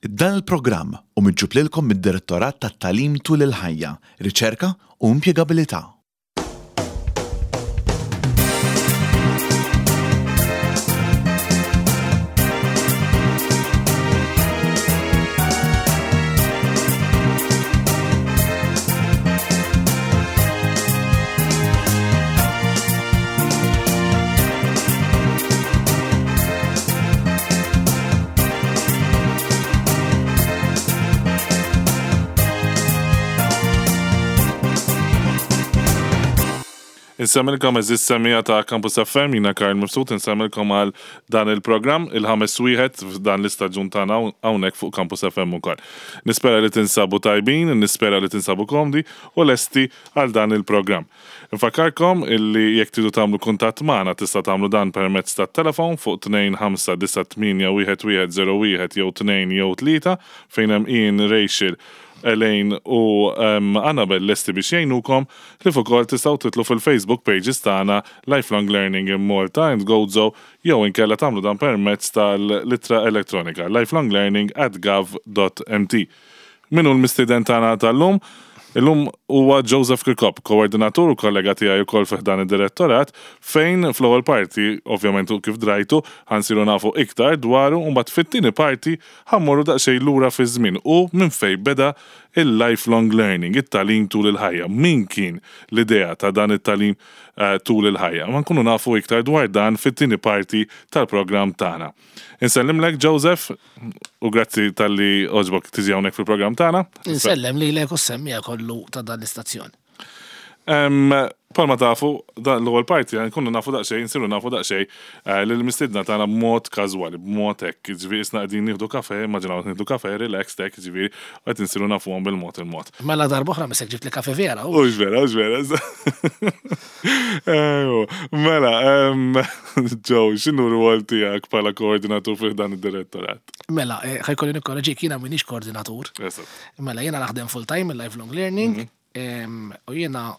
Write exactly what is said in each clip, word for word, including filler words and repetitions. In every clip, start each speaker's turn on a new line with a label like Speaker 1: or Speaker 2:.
Speaker 1: Dan il-programm hu miġjub lilkom mid-Direttorat tat-Tagħlim tul il-ħajja, Riċerka u Impjegabilità.
Speaker 2: Insemmilkom eżis semija ta' Campus F M, jina Karl Mifsud, insemmilkom għal dan il-programm, il-ħames wieħed f'dan l-istaġun tagħna hawnhekk fuq Campus F M ukoll. Nispera li tinsabu tajbin, nispera li tinsabu komdi u lesti għal dan il-programm. Nfakkarkom illi jekk tridu tagħmlu kuntatt magħna tista' tagħmlu dan permezz tat-telefon fuq tnejn ħamsa disa' tmienja wieħed wieħed zero wieħed jew tnejn jew tlieta fejn hemm Ian, Rachel, Elaine u, em, Annabel lesti biex jgħinukom, li ukoll tistgħu titlu fil-Facebook pages tagħna Lifelong Learning in Malta and Gozo jew inkella tagħmlu dan permezz tal-ittra elettronika lifelonglearning at gov dot m t. Min hu l-mistieden tagħna tal-lum? Illum huwa Joseph Kirkop, koordinatur u kollega tiegħi wkoll fih dan id-direttorat, fejn fl-ewwel parti, ovvjament u kif drajtu, ħansiru nafu iktar dwaru, u mbagħad fit-tieni parti ħammorru daqsxejn lura fiż-żmien u minn fejn beda il-lifelong learning, it-tagħlim tul il-ħajja. Min kien l-idea ta' dan it-tagħlim, eh, tul il-ħajja? Ma nkunu nafu iktar dwar dan fit-tieni parti tal-programm tagħna. Insellimlek Joseph u grazzi tal-li oġbok tiġi hawnhekk fil-programm tagħna.
Speaker 3: Insellem lilek u semmija kollu ta' dan l-istazzjon.
Speaker 2: Em, Palma tafu, dan l-ewwel parti nkunu nafu daqsxejn, nsiru nafu daqsxejn, eh, lil mistiedna tagħna b'mod każwali, b'mod hekk, jiġifieri isna qegħdin nieħdu kafe, immaġinaw nieħdu kafe, relax hekk, jiġifieri qed insiru nafuhom bil-mod il-mod.
Speaker 3: Mela darba oħra misek ġibt li kafe vera, u?
Speaker 2: Hux vera, hux vera. Ejju, mela, em, Joe, x'inhu r-rwol tiegħek bħala koordinatur fih dan id-direttorat?
Speaker 3: Mela, eh, ħajkolli nikkoreġik, jiena m'iniex koordinatur.
Speaker 2: Eżatt.
Speaker 3: Mela, jiena naħdem full time il-lifelong learning,
Speaker 2: Mhm.
Speaker 3: em, u jiena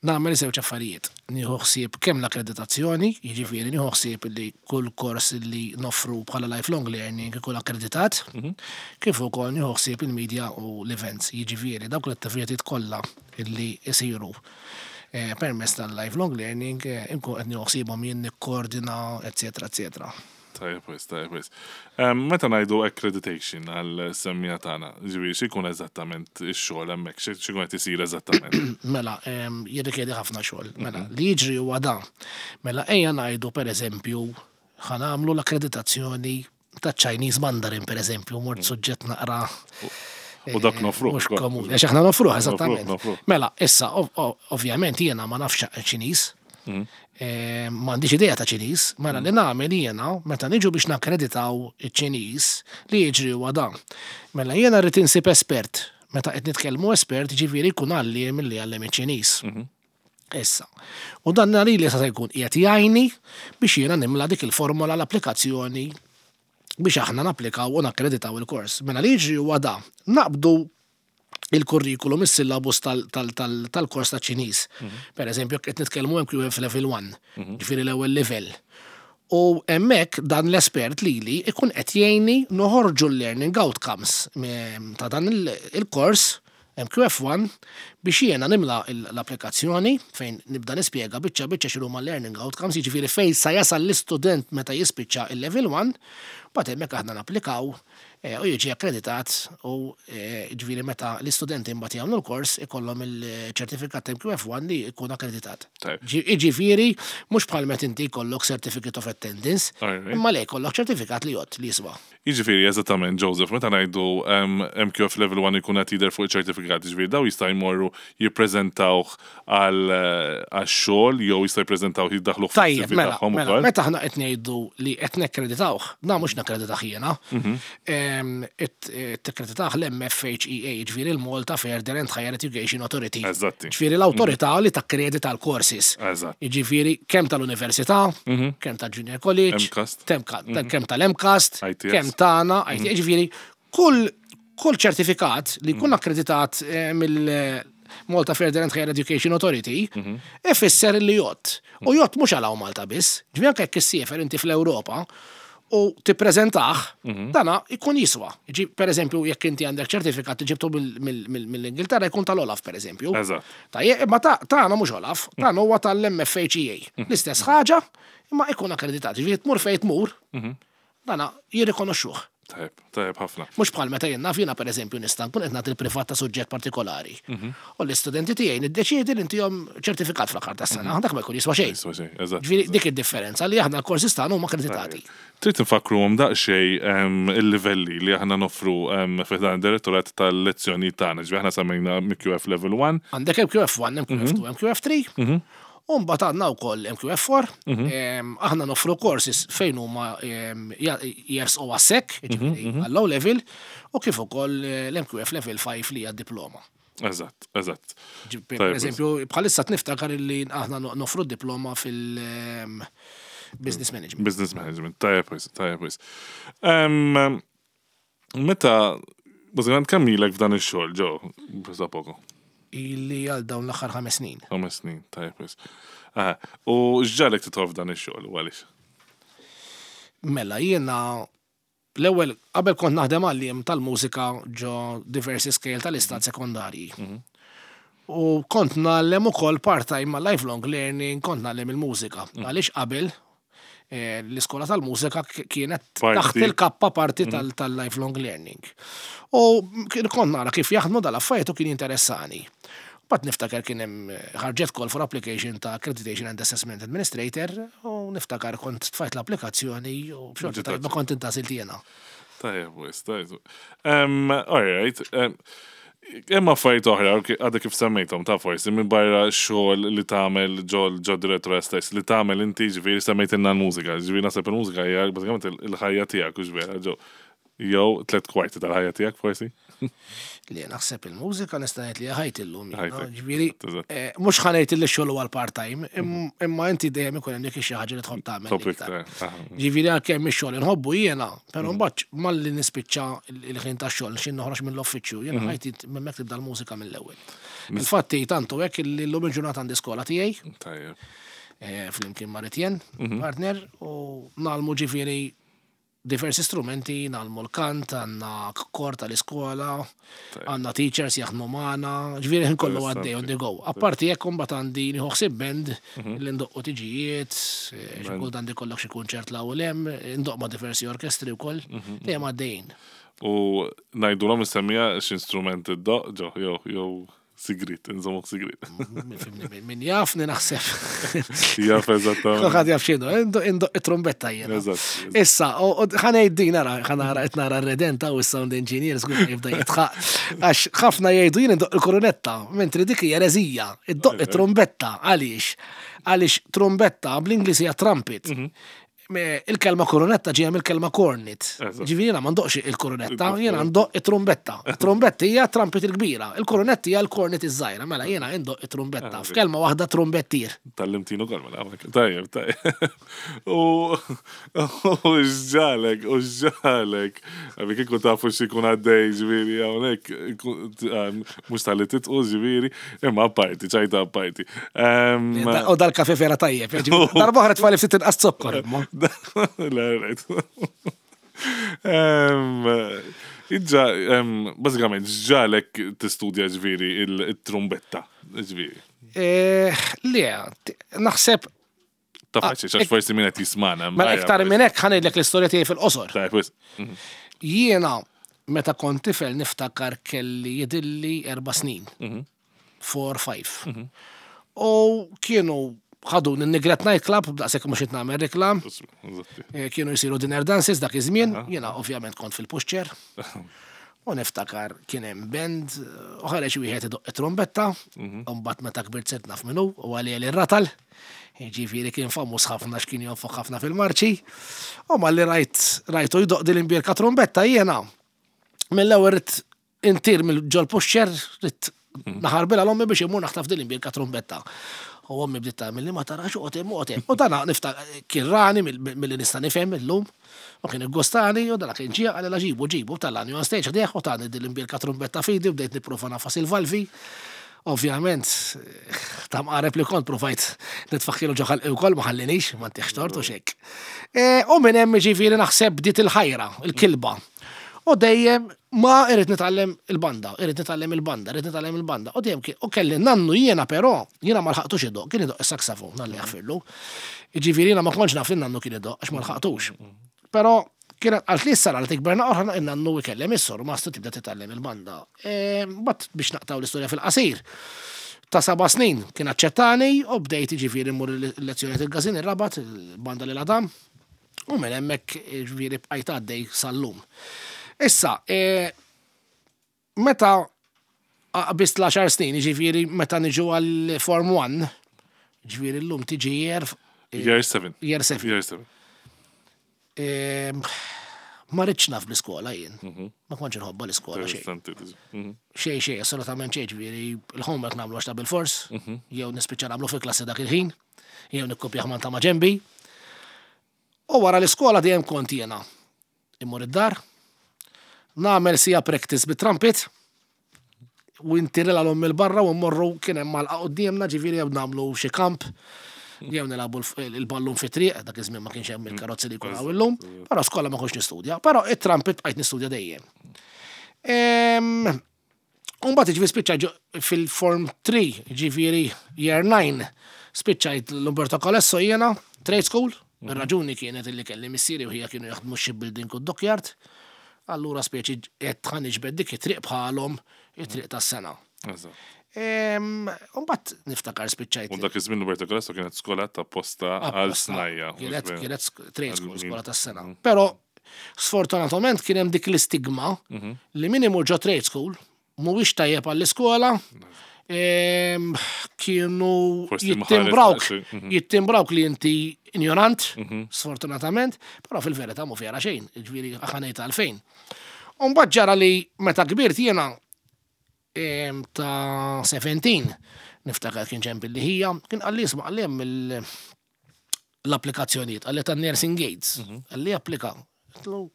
Speaker 3: nagħmel żewġ affarijiet. Nieħu ħsieb kemm l-akkreditazzjoni, jiġifieri nieħu ħsieb li kull kors li noffru bħala lifelong learning ikun akkreditat,
Speaker 2: Mhm.
Speaker 3: kif ukoll nieħu ħsieb il-media u l-events, jiġifieri dawk l-attivitajiet kollha li jsiru, eh, permezz tal-lifelong learning, eh, inkun qed nieħu ħsiebhom jien nikkoordina, eċetera, eċetera.
Speaker 2: Tajjeb wis, tajjeb wis. Em, meta ngħidu accreditation għal semmija tagħna, ġifieri x'ikun eżattament ix-xogħol hemmhekk, xi-, x'ikun qed isir eżattament?
Speaker 3: Mela, em, jirrikjedi ħafna xogħol. Mela,
Speaker 2: Mhm.
Speaker 3: li jiġri huwa dan. Mela, ejja ngħidu pereżempju ħa nagħmlu l-akkreditazzjoni ta' Chinese Mandarin pereżempju, mort
Speaker 2: Mhm.
Speaker 3: suġġett naqra
Speaker 2: U dak nofruh
Speaker 3: mhux
Speaker 2: ukoll.
Speaker 3: komuni. Għax aħna nofruh,
Speaker 2: Nofruh,
Speaker 3: eżattament.
Speaker 2: nofruh.
Speaker 3: Mela, issa, ov-, ov-, ovvjament jiena ma nafx Ċiniż.
Speaker 2: Mhm.
Speaker 3: Eh, m'għandix idea ta' Ċiniż, mela li nagħmel jiena meta niġu biex nakkreditaw iċ-Ċiniż li jiġri huwa dan. Mela jiena rrid insib espert. Meta qed nitkellmu espert, jiġifieri jkun għalliem milli għallem iċ-Ċiniż.
Speaker 2: Mhm.
Speaker 3: Issa. U dan li li se jkun qiegħed jgħinni biex jiena nimla dik il-formola l-applikazzjoni biex aħna napplikaw u nakkreditaw il-kors. Mela li jiġri huwa dan. Naqbdu il-kurrikulum, is-syllabus tal-, tal-, tal-, tal-kors ta' Ċiniż.
Speaker 2: Mhm.
Speaker 3: Per eżempju, qed nitkellmu M Q F level one,
Speaker 2: Mhm.
Speaker 3: ġifieri l-ewwel level. U hemmhekk dan l-espert lili ikun qed jgħinni noħorġu l-learning outcomes me-, ta' dan il-, il-kors M Q F one biex jiena nimla il-, l-applikazzjoni fejn nibda nispjega biċċa biċċa x'inhuma l-learning outcomes, jiġifieri fejn sa jasal l-istudent meta jispiċċa il-level one, mbagħad hemmhekk aħna napplikaw, eh, u jiġi akkreditat u, eh, jiġifieri meta l-istudenti mbagħad jagħmlu l-kors ikollhom il-ċertifikat M Q F one li jkun akkreditat.
Speaker 2: Tajjeb.
Speaker 3: Ġi-, jiġifieri mhux bħal meta inti jkollok certificate of attendance,
Speaker 2: Alright.
Speaker 3: imma le jkollok ċertifikat li jgħod li jiswa.
Speaker 2: Jiġifieri eżattament, Joseph, meta ngħidu, em, M Q F level one ikun qed jidher fuq iċ-ċertifikat, jiġifieri daw jista' jmorru jippreżentawh għal, eh, għax-xogħol jew jista' jippreżentawh jiddaħħluh fis-C V
Speaker 3: Tajjeb, mela,
Speaker 2: tagħhom
Speaker 3: mela,
Speaker 2: ukoll.
Speaker 3: meta aħna qed ngħidu li qed nekkreditawh, na mhux nakkreditah jiena.
Speaker 2: Mhm.
Speaker 3: Em, it-, eh, tikkreditah l-M F H E A, ġifieri l-Malta Further and Higher Education Authority.
Speaker 2: Eżatti.
Speaker 3: Ġifieri l-awtorità li takkredita l-courses.
Speaker 2: Eżatt.
Speaker 3: Jiġifieri kemm tal-università,
Speaker 2: Mhm.
Speaker 3: kemm tal-Junior College,
Speaker 2: MCAST.
Speaker 3: kemm ka-,
Speaker 2: Mhm.
Speaker 3: kemm tal-MCAST,
Speaker 2: I T S.
Speaker 3: kemm tagħna, I T S,
Speaker 2: Mhm.
Speaker 3: ġifieri kull, kull ċertifikat li jkun
Speaker 2: Mhm.
Speaker 3: akkreditat, eh, mill Malta Further and Higher Education Authority,
Speaker 2: Mhm.
Speaker 3: ifisser li jgħodd. U jgħodd mhux għal hawn Malta biss, ġifieri anke jekk issiefer inti fl-Ewropa u tippreżentah, dana ikun jiswa. Ġi, per eżempju, jekk inti għandek ċertifikat ġibtu mill-Ingilterra jkun tal-OLAF, per eżempju.
Speaker 2: Eżatt.
Speaker 3: Tajjeb, imma ta' tagħna mhux OLAF, tagħna huwa tal-M F H E A. L-istess ħaġa, imma ikun akkreditat. Ġifieri tmur fejn tmur, dana jirrikonoxxuh.
Speaker 2: Tajjeb, tajjeb ħafna.
Speaker 3: Mhux bħal meta jien naf jiena, per eżempju, nista' nkun qed nagħti l-privat ta' suġġett partikolari. U l-istudenti tiegħi niddeċiedi li ntihom ċertifikat fl-aħħar tas-sena, dak ma jkun jiswa xejn.
Speaker 2: Jiswa xejn, eżatt.
Speaker 3: Ġifieri dik id-differenza li aħna l-korsi tagħna huma akkreditati.
Speaker 2: Trid nfakruhom daqsxejn em, il-livelli li aħna noffru em, fi dan id-direttorat tal-lezzjoni tagħna. Ġifieri aħna semmejna M Q F Level one.
Speaker 3: Għandek M Q F one, M Q F two, M Q F three, u mbagħad għandna wkoll M Q F four. Em, aħna noffru courses fejn huma em, ja- jersqu għas-S E C, jiġifieri għall-O level, u kif ukoll eh, l-M Q F Level five li hija diploma.
Speaker 2: Eżatt, eżatt.
Speaker 3: Ġi- Per
Speaker 2: Tajjeb,
Speaker 3: eżempju, bħalissa niftakar li aħna no- noffru diploma fil-business management.
Speaker 2: Business management, tajjeb wis, tajjeb wis. Em, Meta, bażikament kemm ilek f'dan ix-xogħol, ġo, basta poko?
Speaker 3: Illi għal dawn l-aħħar ħames snin.
Speaker 2: Ħames snin, tajjeb wis. Ah, u x'ġagħlek tidħol f'dan ix-xogħol, u għaliex?
Speaker 3: Mela, jiena l-ewwel qabel kont naħdem għalliem tal-mużika ġo diversi skejjel tal-istat sekondarji. U kont ngħallem ukoll part-time ma' lifelong learning, kont ngħallem il-mużika. Għaliex qabel eh, l-iskola tal-mużika k- kienet
Speaker 2: Parti.
Speaker 3: taħt il-kappa parti tal- tal-lifelong learning. U kien- kont nara kif jaħdmu dal-affarijiet u kien interessani. Bat niftakar kien hemm eh, ħarġet call for application ta' Accreditation and Assessment Administrator u niftakar kont tfajt l-applikazzjoni u b'xorti tajba kont intgħażilt jiena.
Speaker 2: Tajjeb wis, tajjeb. Um, all right. Um, Hemm affarijiet oħra, ok, għadha kif semmejthom ta' forsi minn barra xogħol li tagħmel ġol ġo direttor stess li tagħmel inti, ġifieri semmejtilna l-mużika, ġifieri naħseb il-mużika hija bażikament il- il-ħajja tiegħek, u ġifieri ġo jew tliet kwarti tal-ħajja tiegħek forsi.
Speaker 3: Li naħseb il-mużika nista' ngħid li ħajti llum. jiena.
Speaker 2: Ħajtek,
Speaker 3: Ġifieri
Speaker 2: eżatt.
Speaker 3: eh, mhux ħa ngħid li x-xogħol huwa l-part-time, im- imma inti dejjem ikun hemm dik xi ħaġa li tħobb tagħmel
Speaker 2: Topic
Speaker 3: iktar.
Speaker 2: ta' aha.
Speaker 3: Ġifieri għalkemm ix-xogħol inħobbu jiena, però mbagħad malli nispiċċa il-ħin tax-xogħol xi noħroġ mill-uffiċċju, jiena ħajti hemmhekk tibda l-mużika mill-ewwel. Infatti tantu hekk li llum il-ġurnata għandi skola tiegħi,
Speaker 2: Tajjeb.
Speaker 3: eh, flimkien ma' Ritjen, partner, u ngħallmu ġifieri diversi strumenti, ngħallmu l-kant, għandna kor tal-iskola, għandna teachers jaħdmu magħna, ġifieri ħin kollu għaddej on the go. Apparti jekk imbagħad għandi nieħu ħsieb band li ndoqqu tiġijiet, eh, xi kultant ikollok xi kunċert 'l hawn hemm, ndoqq ma' diversi orkestri wkoll, dejjem għaddejjin.
Speaker 2: U ngħidulhom is-semmiegħa x'instrument iddoqq, ġo, jew jew sigrit, nżommuk sigrit?
Speaker 3: Min- Min jafni naħseb.
Speaker 2: Jaf eżattament.
Speaker 3: Kulħadd jaf x'inhu, indoqq it-trumbetta jiena.
Speaker 2: Eżatt.
Speaker 3: Issa, u- u ħa ngħid din nara, ħa nara qed nara r-redenta u s-sound engineer żgur jibda jidħaq. Għax ħafna jgħidu jien indoqq il-korunetta, mentri dik hija ereżija, iddoqq it-trumbetta, għaliex? Għaliex trumbetta bl-Ingliż hija trumpet. Me- Il-kelma korunetta ġejja mill-kelma cornet.
Speaker 2: Eżatt.
Speaker 3: Ġifieri jiena ma ndoqqx il-korunetta, jiena ndoqq it-trumbetta. Trumbetta hija trumpet il-kbira, il-korunetta hija l-cornet iż-żgħira, mela jiena ndoqq it-trumbetta. F'kelma waħda, trumbettir.
Speaker 2: Tgħallimtna ukoll, mela, hawnhekk. Tajjeb, tajjeb. U u x'ġagħlek, u x'ġagħlek. Għabi kieku tafu x'ikun għaddej, ġifieri, hawnhekk, mhux talli titqu, ġifieri, imma apparti, ċajta apparti. Em,
Speaker 3: U dal-kafe vera tajjeb. Ġifieri, darba oħra tfali ftit inqas zokkor. Imma.
Speaker 2: Le, right. Em, Iġġa, em, bażikament, x'ġagħlek tistudja ġifieri il-trumbetta, ġifieri?
Speaker 3: Eh, Le, t- naħseb,
Speaker 2: Ta' faċi, għax forsi min qed jismana.
Speaker 3: mela iktar minn hekk ħa ngħidlek l-istorja tiegħi fil-qosor.
Speaker 2: Tajjeb, wis.
Speaker 3: Jiena meta kont tifel niftakar kelli jidilli erba' snin. Four, five. U kienu ħadu n-Nigret Night Club, daqshekk mhux qed nagħmel reklam.
Speaker 2: Eżatti.
Speaker 3: Eh, Kienu jsiru dinner dances dak iż-żmien, jiena ovvjament kont fil-pushchair. U niftakar kien hemm band, u ħareġ wieħed idoq it-trumbetta, u mbagħad meta kbirt sirt naf minnu, u għalija li ratal. Ġifieri kien famuż ħafna x'kien jonfoq ħafna fil-marċi. U malli rajt rajtu jdoq din l-imbierka trumbetta jiena. Mill-ewwel ridt intir mill-ġol pushchair, ridt naħarbilha l-ommi biex imur naħtaf din l-imbierka trumbetta. U ommi bdiet tagħmel li ma tarax u qed u U dana nifta kien rani mill-li nista' nifhem illum. U kien iggostani u dana kien ġie qalli ġibu ġibu tellagħni on stage ħdejh u tani din l-imbierka trumbetta f'idi u bdejt nipprova nagħfas il-valvi. Ovvjament, ta' mqareb li kont provajt nitfaħħilu ġo ħalqi wkoll, ma ħallinix, ma ntihx tort u xek. E, U minn hemm, ġifieri, naħseb bdiet il-ħajra, il-kilba. U dejjem ma irrid nitgħallem il-banda, irrid nitgħallem il-banda, irrid nitgħallem il-banda. U dejjem kien, u kelli nannu jiena però, jiena ma lħaqtux idoqq, kien idoqq is-saksafon, Alla jaħfirlu. Ġifieri jiena ma kontx naf li nannu kien idoqq għax ma lħaqtux. Però kienet għalt li s-sara li tikber naqra nannu ikellem is-surmast u tibda titgħallem il-banda. E, But biex naqtaw l-istorja fil-qasir. Ta' seba' snin kien aċċettani u bdejt, ġifieri, mmur il-lezzjoni il-Gazin ir-Rabat, il-banda li l-Adam. U minn hemmhekk, ġifieri, bqajt għaddej sal-lum. Issa, e, meta qbist l-għaxar snin, ġifieri meta niġu għal Form one, ġifieri l-lum tiġi year,
Speaker 2: Year seven.
Speaker 3: Year seven.
Speaker 2: Year seven.
Speaker 3: E, ma ridtx naf bl-iskola jien. Ma kontx nħobba l-iskola xejn.
Speaker 2: Interessanti. Mhm.
Speaker 3: Xej xej, assolutament xejn, ġifieri il-homework nagħmlu għax ta' bil-fors, jew nispiċċa nagħmlu fil-klassi dak il-ħin, jew nikkopja ma' ta' ġembi. U wara l-iskola dejjem kont jiena immur id-dar, nagħmel sija practice bit-trumpet, u intirila l il-barra u mmorru, kien hemm malqa quddiemna, ġifieri jew nagħmlu xi kamp, jew nilagħbu l- il-ballun fi triq, dak iż-żmien ma kienx hemm il-karozzi li jkun hawn illum, però skola ma kontx nistudja, però it-trumpet bqajt nistudja dejjem. Em, Umbagħad ġifieri spiċċa ġo- fil-Form three, ġifieri Year nine, spiċċajt l-Umberto Colesso jiena, Trade School. Ir-raġuni kienet illi kelli missieri u ħija kienu jaħdmu shipbuilding u dockyard. Allura speċi qed ħa niġbed dik it-triq bħalhom, it-triq tas-sengħa.
Speaker 2: Eżatt.
Speaker 3: Umbagħad niftakar spiċċajt.
Speaker 2: U dak iż-żmien Umberto Colesso kienet skola ta' posta għal
Speaker 3: Apposta.
Speaker 2: snajja.
Speaker 3: Kienet kienet sk- trade school,
Speaker 2: Għal-
Speaker 3: skola tas-sengħa. Però sfortunatament kien hemm dik l-istigma li min imur ġo trade school mhuwiex tajjeb għall-iskola. Em, Kienu
Speaker 2: Forsi
Speaker 3: jittimbrawk,
Speaker 2: mħares mhm.
Speaker 3: jittimbrawk li inti ignorant, sfortunatament, però fil-verità mu fjara xejn, ġifieri ħa ngħid għalfejn. Umbagħad ġara li meta kbirt jiena em, ta' sbatax, niftakar kien ġemp li ħija, kien qalli, "Isma'," qalli, "hemm il- l-applikazzjonijiet," qalli, "ta' nursing aides," qalli, "applika." Għedtlu,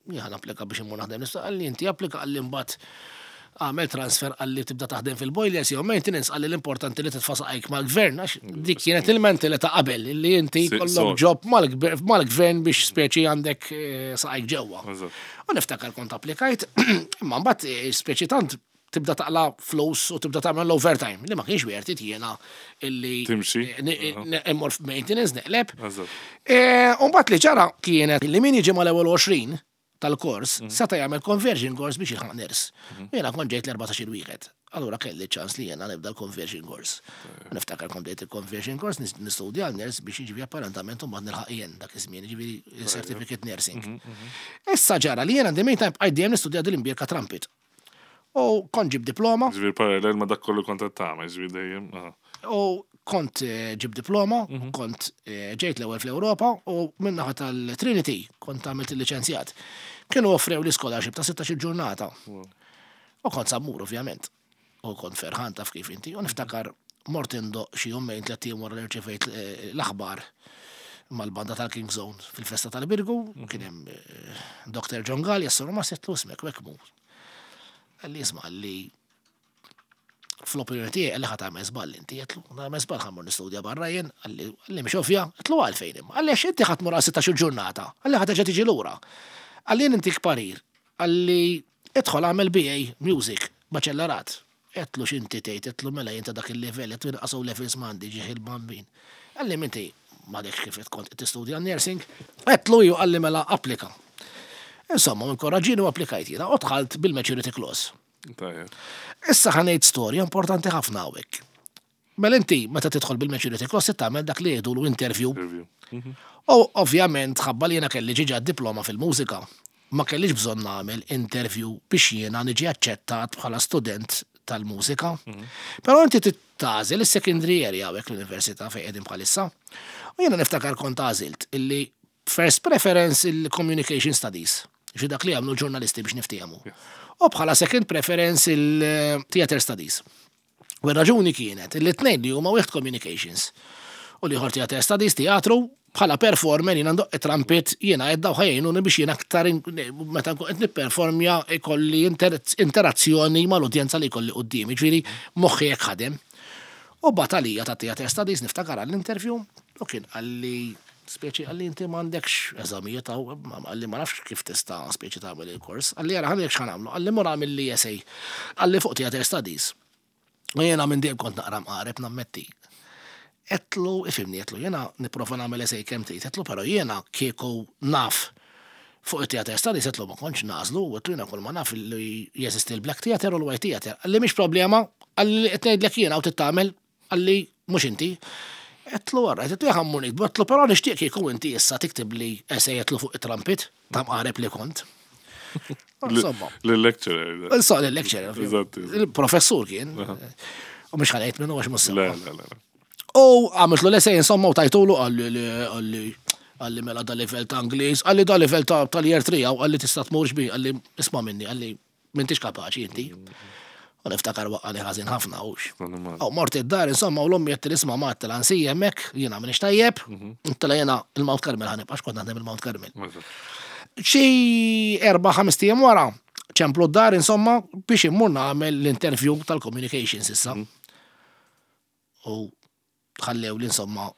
Speaker 3: "Jien applika biex immur naħdem nista'?" Qalli, "Inti applika," qalli, "mbagħad għamel transfer," qalli, "tibda taħdem fil-boilers jew maintenance," qalli, "l-importanti li titfa' saqajk mal-gvern," għax dik kienet il-mentalità qabel li inti
Speaker 2: Si-
Speaker 3: kollok
Speaker 2: so-
Speaker 3: job mal-gver- mal-gvern biex speċi għandek eh, saqajk ġewwa.
Speaker 2: Eżatt.
Speaker 3: U niftakar kont applikajt, imma mbagħad eh, speċi tant tibda taqla flus u tibda tagħmel l-overtime li ma kienx wiertit jiena illi
Speaker 2: Timxi.
Speaker 3: eh, ni- ni- immur f'maintenance neqleb.
Speaker 2: Eżatt.
Speaker 3: Eh, U mbagħad li ġara kienet li min jiġi mal-ewwel għoxrin tal-kors seta' jagħmel conversion course biex jilħaq nurse. Jiena kont ġejt l-erbatax-il wieħed. Allura kelli ċans li jiena nibda l-conversion course. Niftakar kont bdejt il-conversion course nis- nistudja għal nurse biex jiġifieri apparentament mbagħad nilħaq jien dak iż-żmien, jiġifieri certificate nursing. Issa ġara li jiena the meantime bqajt dejjem nistudja dil-imbierka trumpet. U kont ġib diploma,
Speaker 2: Ġifieri parallel ma dak kollu kont qed tagħmel, ġifieri dejjem. aha.
Speaker 3: u kont eh, ġib diploma, kont eh, ġejt l-ewwel fl-Ewropa u minnaħa tal-Trinity kont għamilt il-liċenzjat. Kienu offrew li scholarship ta' sittax-il ġurnata. U kont sa mmur, ovvjament. U kont ferħan, taf kif inti. U niftakar mort indoqq xi jumejn, tlett ijiem wara li rċevejt eh, l-aħbar mal-banda tal-King Zone fil-festa tal-Birgu, kien hemm eh, Doctor John Gallia, s ma setlu ismek, wekmu. Qalli, "Isma'," qalli, "fl-opinjoni tiegħi," qalli, "ħa tagħmel żball inti." Għedtlu, "Nagħmel żball ħa mmur nistudja barra jien?" Qalli, qalli "Mhix ovvja?" Għedtlu, "Għalfejn imma?" Qalli, "Għax inti ħa tmur għal sittax-il ġurnata." Qalli, "Ħa terġa' tiġi lura." Qalli, "Jien intik parir." Qalli, "Idħol għamel B A Music, baċellerat." Għedtlu, "X'inti tgħid?" Għedtlu, "Mela jien ta' dak il-level," għedtlu, "inqas levels m'għandi ġieħ il-bambin." Qalli, "Minti m'għadekx kif kont tistudja nursing?" Għedtlu, "Ju." Qalli, "Mela applika." Insomma, inkoraġġieni u applikajt jiena u dħalt bil-maturity clause.
Speaker 2: Tajjeb.
Speaker 3: Issa ħa ngħid storja importanti ħafna hawnhekk. Mela inti meta tidħol bil-maturity clause tagħmel dak li jgħidulu interview.
Speaker 2: Interview.
Speaker 3: U ovvjament ħabba li jiena kelli ġiġa diploma fil-mużika, ma kellix bżonn nagħmel interview biex jiena niġi aċċettat bħala student tal-mużika. Però inti tagħżel is-secondary area hawnhekk l-università fejn qegħdin bħalissa. U jiena niftakar kont għażilt illi first preference il-communication studies, xi dak li għamlu ġurnalisti biex niftehmu. U bħala second preference il-theater studies. U r-raġuni kienet illi tnejn li huma wieħed communications u l-ieħor theater studies, teatru, Bħala performer jiena ndoqq trumpet, jiena qed daw ħa jgħinuni biex jiena aktar meta nkun qed nipperformja ikolli interazzjoni mal-udjenza li jkolli quddiemi, ġifieri moħħi hekk ħadem. U bagħat għalija ta' Theatre Studies, niftakar, għall-interview, u kien qalli, speċi, qalli, "Inti m'għandekx eżamijiet, qalli, "ma nafx kif tista' speċi tagħmel il-kors." Qalli, "Ara, ħa ngħidlek x'ħa nagħmlu," qalli, "mur agħmel li essay," qalli, "fuq Theatre Studies." U jiena minn dejjem kont naqra mqareb, nammetti. Għedtlu, "Ifhimni," għedtlu, "jiena nipprova nagħmel essay kemm trid," għedtlu, "però jiena kieku naf fuq it-theatre studies," għedtlu, "ma kontx nagħżlu," għedtlu, "jiena kull ma naf li jeżisti l-Black Theatre u l-White Theatre." Qalli, "Mhix problema," qalli, "qed ngħidlek jiena u tittamel," qalli, "mhux inti." Għedtlu, "Għarra," għedtlu, "ħa mmur niktbu," għedtlu, "però nixtieq kieku inti issa tiktib li essay," għedtlu, "fuq it-trumpet, ta' mqareb li kont."
Speaker 2: Insomma. L-lecturer.
Speaker 3: Insomma, l-lecturer. Il-professur kien. U mhux ħa ngħid minnu għax mhux
Speaker 2: Le, le, le.
Speaker 3: U għamiltlu l-essay, insomma, u tajtulu, qalli qalli qalli "Mela da level ta' Ingliż," qalli, "da level ta' tal-year three," u qalli, "tista' tmurx bi," qalli, "isma' minni," qalli, "m'intix kapaċi inti." U niftakar waqqagħni ħażin ħafna hux. U mort id-dar, insomma, u l-ommi għedt "Isma', ma," għedtilha, "nsija hemmhekk, jiena m'iniex tajjeb," għedtilha, "jiena il-Mount Carmel ħa nibqa', kont naħdem il-Mount Carmel." Xi erba' ħames ijiem wara, ċemplu d-dar, insomma, biex immur nagħmel l-interview tal-communications issa. U ħallew li, insomma,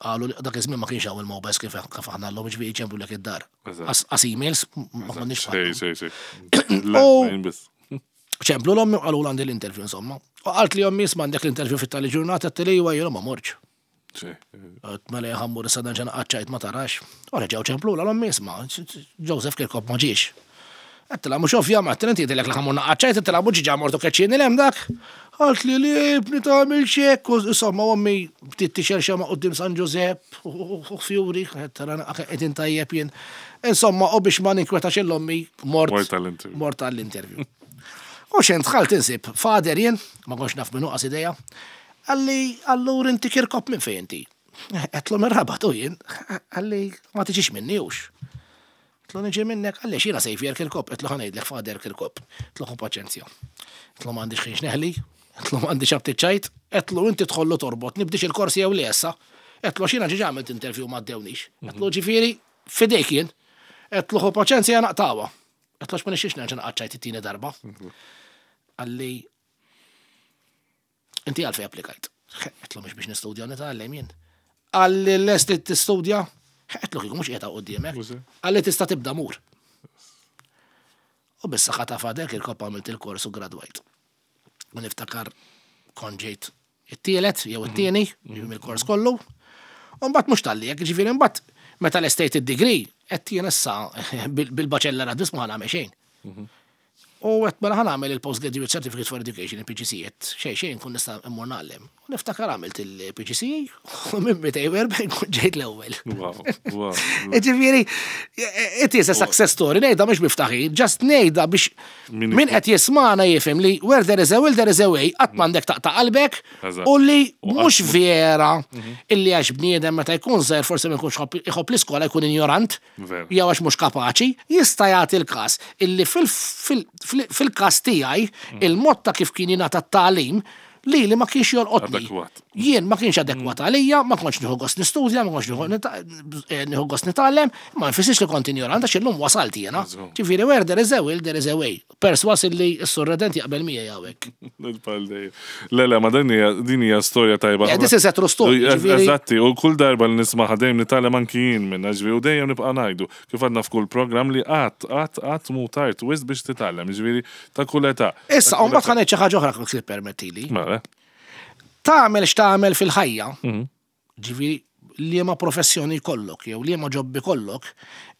Speaker 3: qalu li dak iż-żmien ma kienx hawn il-mobiles kif kif aħna llum, ġifieri ċemplulek id-dar. Għax emails ma konniex.
Speaker 2: Sej, sej, sej. Landline biss.
Speaker 3: ċemplu l-ommi u qalu għandi l-interview, insomma. U qalt li ommi, "Isma', għandek l-interview fit-tali ġurnata," għedtilha, "Jiena ma mortx." Għedt, "Mela ħa mmur issa nerġa' qaċċajt ma tarax." U reġgħu ċemplu l-ommi, "Isma', Joseph Kirkop ma ġiex." Għedtilha, "Mhux ovvja," ma għedtilha, "inti għedtilek li ħa mmur qaċċajt," għedtilha, "mhux ġa mortu keċċini 'l hemm dak." Qalt li li bni tagħmel xek, u insomma ommi bdiet tixgħel xemgħa quddiem San Giuseppe u fjuri, għedtilha, "Qegħdin tajjeb jien." Insomma, u biex ma ninkwetax l-ommi, mort.
Speaker 2: Mort għall-interview.
Speaker 3: Mort għall-interview. U xejn dħalt insib father jien, ma kontx naf minnu qas ideja. Qalli, "Allura inti Kirkop, minn fejn inti?" Għedtlu, "Mir-Rabat," u jien. Qalli, "Ma tiġix minni hux." Għedtlu, "Niġi minnek," qalli, "X'jiena Saviour Kirkop?" Għedtlu, "Ħa ngħidlek, Father Kirkop." Għedtlu, "Ħu paċenzja." Għedtlu, "M'għandix ħin neħli." Għedtlu, "M'għandix aptit ċajt." Għedtlu, "Inti tħollu torbot, nibdix il-korsi jew li issa." Għedtlu, "X'jiena ġiġa għamilt interview ma ddewniex." Għedtlu, "Ġifieri, fidejk jien." Għedtlu, "Ħu paċenzja, naqtgħuha." Għedtlu, "Ma nixtieqx nerġa' naqgħod it-tieni darba." Qalli, "Inti għalfejn applikajt?" Għedtlu, "Mhux biex nistudja u nitgħallem jien." Qalli, "Lest li tistudja?" Għedtlu, "Kieku mhux qiegħda quddiemek." Qalli, "Tista' tibda mur." U bis-saħħa ta' Father Kirkop għamilt il-kors u gradwajt. U niftakar kont ġejt it-tielet jew it-tieni mill-kors kollu. U mbagħad mhux talli hekk, ġifieri mbagħad meta lestejt id-degree, għedt jien issa bil-baċellerat biss ma nagħmel xejn. U għedt, "Mela ħa nagħmel il-Postgraduate Certificate for Education, il-P G C E," xejn xejn kun nista' immur ngħallem. U niftakar għamilt il-P G C E u minn mitejn u erbgħin kun ġejt l-ewwel.
Speaker 2: Wow, wow.
Speaker 3: Ġifieri, it is a success story, ngħidha mhux b'tifħir, just ngħidha biex min qed jismana jifhem li where there is a will, there is a way, qatt m'għandek taqta' qalbek
Speaker 2: Eżatt.
Speaker 3: u li mhux vera illi għax bniedem meta jkun żgħir forsi ma jkunx iħobb l-iskola jkun ignorant
Speaker 2: Vera.
Speaker 3: jew għax mhux kapaċi, jista' jagħti l-każ illi fil- fil- fil- fil-każ tiegħi il-mod ta' kif kien jingħata t-tagħlim li li ma kienx jolqotni.
Speaker 2: Adekwat.
Speaker 3: Jien ma kienx adekwat għalija, ma kontx nieħu gost nistudja, ma kontx nieħu nita- eh, nieħu gost nitgħallem, ma nfissirx li kont ignorant għax illum wasalt jiena.
Speaker 2: Żgur.
Speaker 3: Ġifieri where there is a will, there is a way. Perswas illi s-Sur Redent jaqbel miegħi hawnhekk.
Speaker 2: Il-pal dejjem. Le, le, ma din hija din hija storja tajba.
Speaker 3: Yeah, this is a true story,
Speaker 2: U-
Speaker 3: ġifieri-
Speaker 2: Eżatti, u kull darba li nisma' dejjem nitgħallem anki jien minna, ġifieri, u dejjem nibqa' ngħidu kif għadna f'kull programm li qatt, qatt, qatt mhu tard wisq biex titgħallem, ġifieri ta' kull età.
Speaker 3: Issa, u mbagħad ħa ngħid xi ħaġa oħra kif permettili.
Speaker 2: Mela,
Speaker 3: Tagħmel x'tagħmel fil-ħajja, ġifieri liema professjoni jkollok jew liema job ikollok,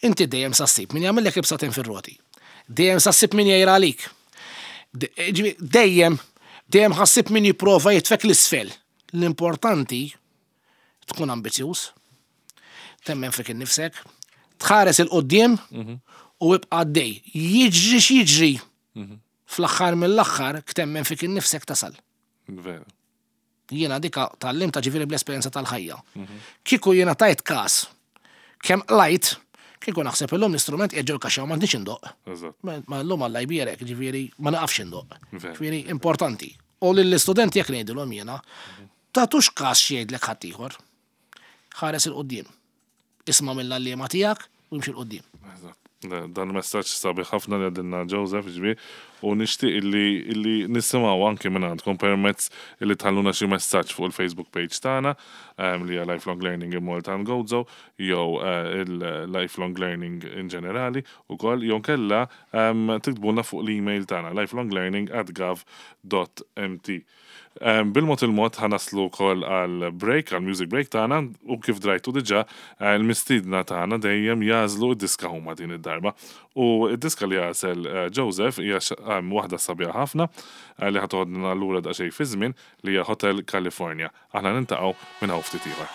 Speaker 3: inti dejjem sa ssib min jagħmellek ibsaten fir-roti. Dejjem sa ssib min jgħir għalik. De- ġifieri, dejjem, dejjem ħa ssib min jipprova jitfgħek 'l isfel. L-importanti tkun ambizjuż, temmen fik innifsek, tħares 'il quddiem u ibqa' għaddej. Jiġri x'jiġri. Fl-aħħar mill-aħħar temmen fik innifsek tasal.
Speaker 2: Vera.
Speaker 3: Jiena dika tgħallimtha, ġifieri, bl-esperjenza tal-ħajja. Kieku jiena tajt kas, kemm lajt, kieku naħseb illum l-istrument qiegħed ġol-kaxxa u m'għandix indoqq.
Speaker 2: Eżatt.
Speaker 3: Ma ma llum Alla jbierek, ġifieri ma naqafx indoqq.
Speaker 2: Vera.
Speaker 3: Ġifieri importanti. U lill-istudenti jekk ngħidilhom jiena, tagħtux kas x'jgħidlek ħaddieħor. Ħares 'il quddiem. isma' mill-għalliema tiegħek u imxi 'l quddiem.
Speaker 2: Eżatt. Dan messaġġ sabiħ ħafna li għedilna Joseph ġbi u nixtieq illi illi nisimgħu anke minn għandkom permezz illi tħalluna xi messaġġ fuq il-Facebook page tagħna em, li hija Lifelong Learning in Malta and Gozo jew eh, il-Lifelong Learning in ġenerali ukoll jew kella em, tiktbulna fuq l-email tagħna lifelonglearning at gov dot M T. Um, Bil-mod il-mod ħa naslu wkoll għal break, għal music break tagħna, u kif drajtu diġà eh, il-mistiedna tagħna dejjem jagħżlu id-diska huma din id-darba. U id-diska li għażel eh, Joseph hija x- em, waħda sabiħa ħafna eh, li ħa toħodna lura daqsxejn fi żmien, li hija Hotel California. Aħna niltaqgħu minn hawn ftit ieħor.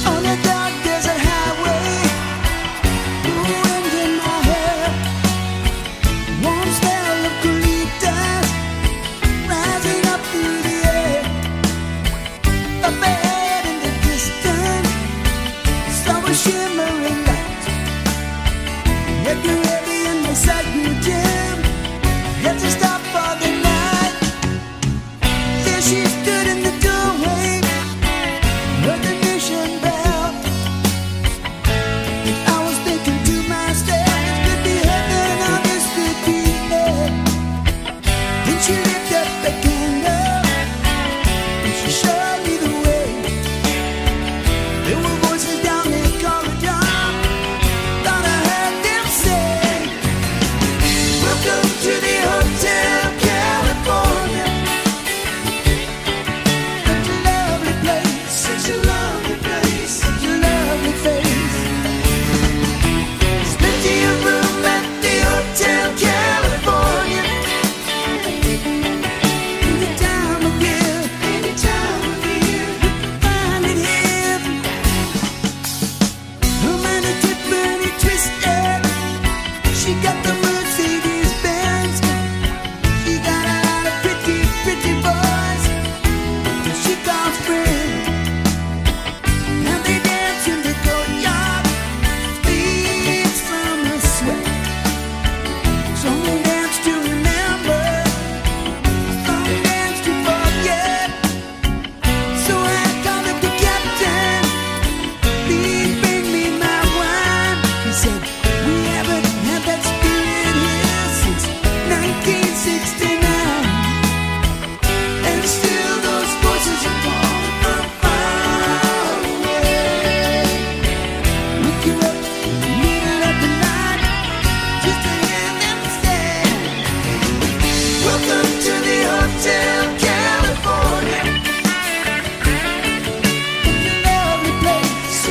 Speaker 4: On a dark desert highway, wind in my hair, warm smell of colitas rising up through the air. A bed in the distance, saw a shimmering light. Yet you're heavy in the sacred gym, had to stop for the night. There she stood in the doorway, heard the mission bell. I was thinking to myself, this could be heaven or this could be hell. Then she lit up the candle and she showed me the way. There were voices down the corridor, thought I heard them say, "Welcome to the Hotel California. Such a lovely place, such a lovely place, such a lovely face. There's plenty of room at the Hotel California. Any time of year, any time of year, you can find it here."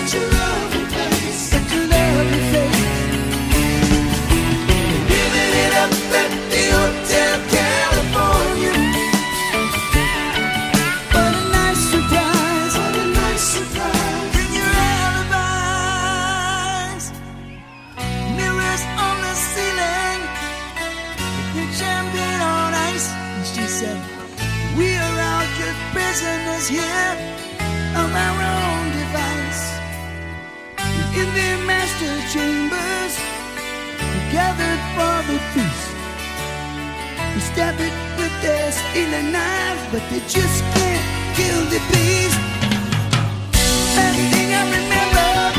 Speaker 4: Such a lovely place, such a lovely place. Giving it up at the Hotel California. What a nice surprise, what a nice surprise. Bring your alibis. Mirrors on the ceiling, the champion on ice. And she said, we are all just prisoners here of our own device. In their master chambers, we gathered for the feast. We stab it with their stealing knives, but they just can't kill the beast. Last thing I remember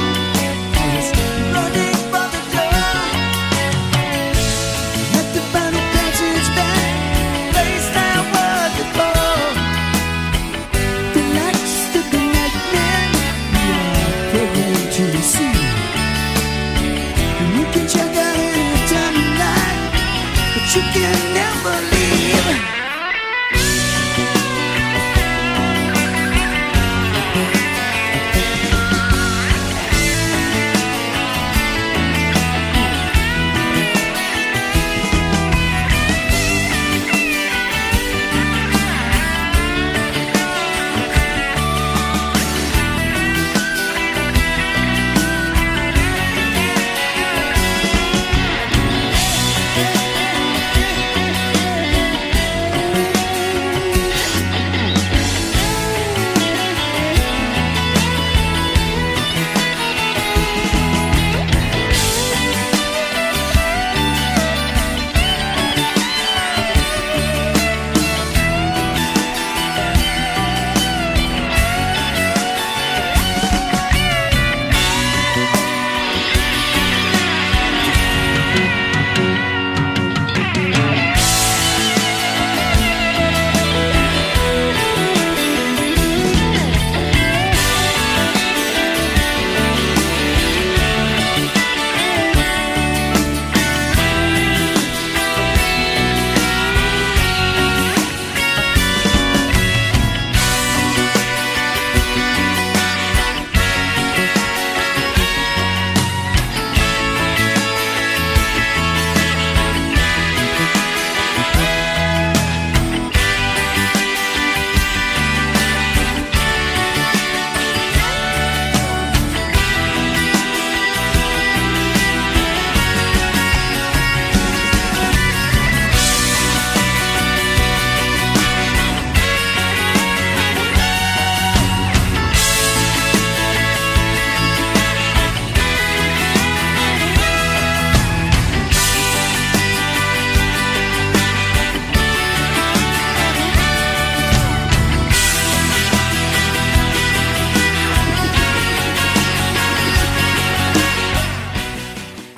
Speaker 4: was running for the door. At the final passage back, place I was before. Relax to the nightmare you are programmed to receive. And you can check out anytime you like, but you can never leave.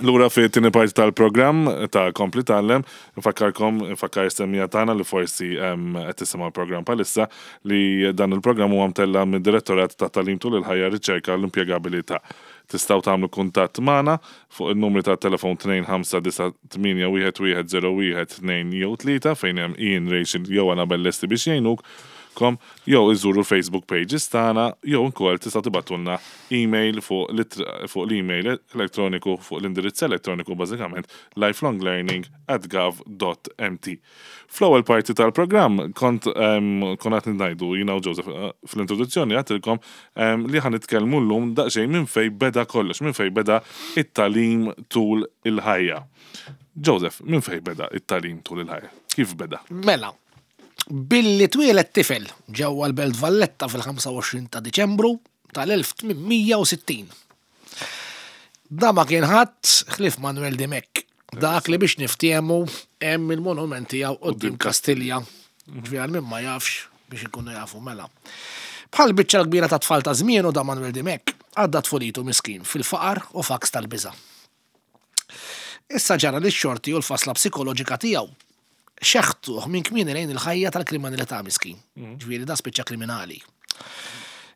Speaker 2: Lura fi tieni parti tal-programm ta' Kompli Tgħallem, nfakkarkom, nfakkar is-semmiegħa tagħna li forsi qed tisimgħu l-programm bħalissa li dan il-programm huwa mtella mid-Direttorat ta' Tagħlim Tul il-Ħajja Riċerka l-Impjegabilità. Tistgħu tagħmlu kuntatt magħna fuq il-numri ta' telefon tnejn ħamsa disa' tmienja wieħed wieħed zero wieħed tnejn jew tlieta fejn hemm Ian, Rachel jew Annabelle lesti biex jgħinuk kom, jew iżuru l-Facebook pages tagħna, jew ukoll tistgħu tibgħatulna email fuq l-ittra, fuq l-email elettroniku, fuq l-indirizz elettroniku bażikament lifelonglearning at gov dot m t. Fl-ewwel parti tal-programm kont, em, kont qed ngħidu jiena u Joseph, eh, fl-introduzzjoni għedtilkom, em, li ħa nitkellmu llum daqsxejn minn fejn beda kollox, minn fejn beda it-tagħlim tul il-ħajja. Joseph, minn fejn beda it-tagħlim tul il-ħajja? Kif beda?
Speaker 3: Mela, billi twieled tifel ġewwa l-Belt Valletta fil-ħamsa u għoxrin ta' Diċembru tal-elf tmien mija u sittin. Da ma kien ħadd ħlief Manuel Dimech, dak li biex niftiehmu hemm il-monument tiegħu quddiem Kastilja. Ġifieri għal min ma jafx biex ikunu jafu mela. Bħal biċċa kbira ta' tfal ta' żmienu da Manuel Dimech għadda tfulitu miskin fil-faqar u faks tal-biża'. Issa ġara li x-xorti u l-fasla psikoloġika tiegħu xeħtuh minn kmieni lejn il-ħajja tal-kriminalità miskin.
Speaker 2: Mm.
Speaker 3: Ġifieri da spiċċa kriminali.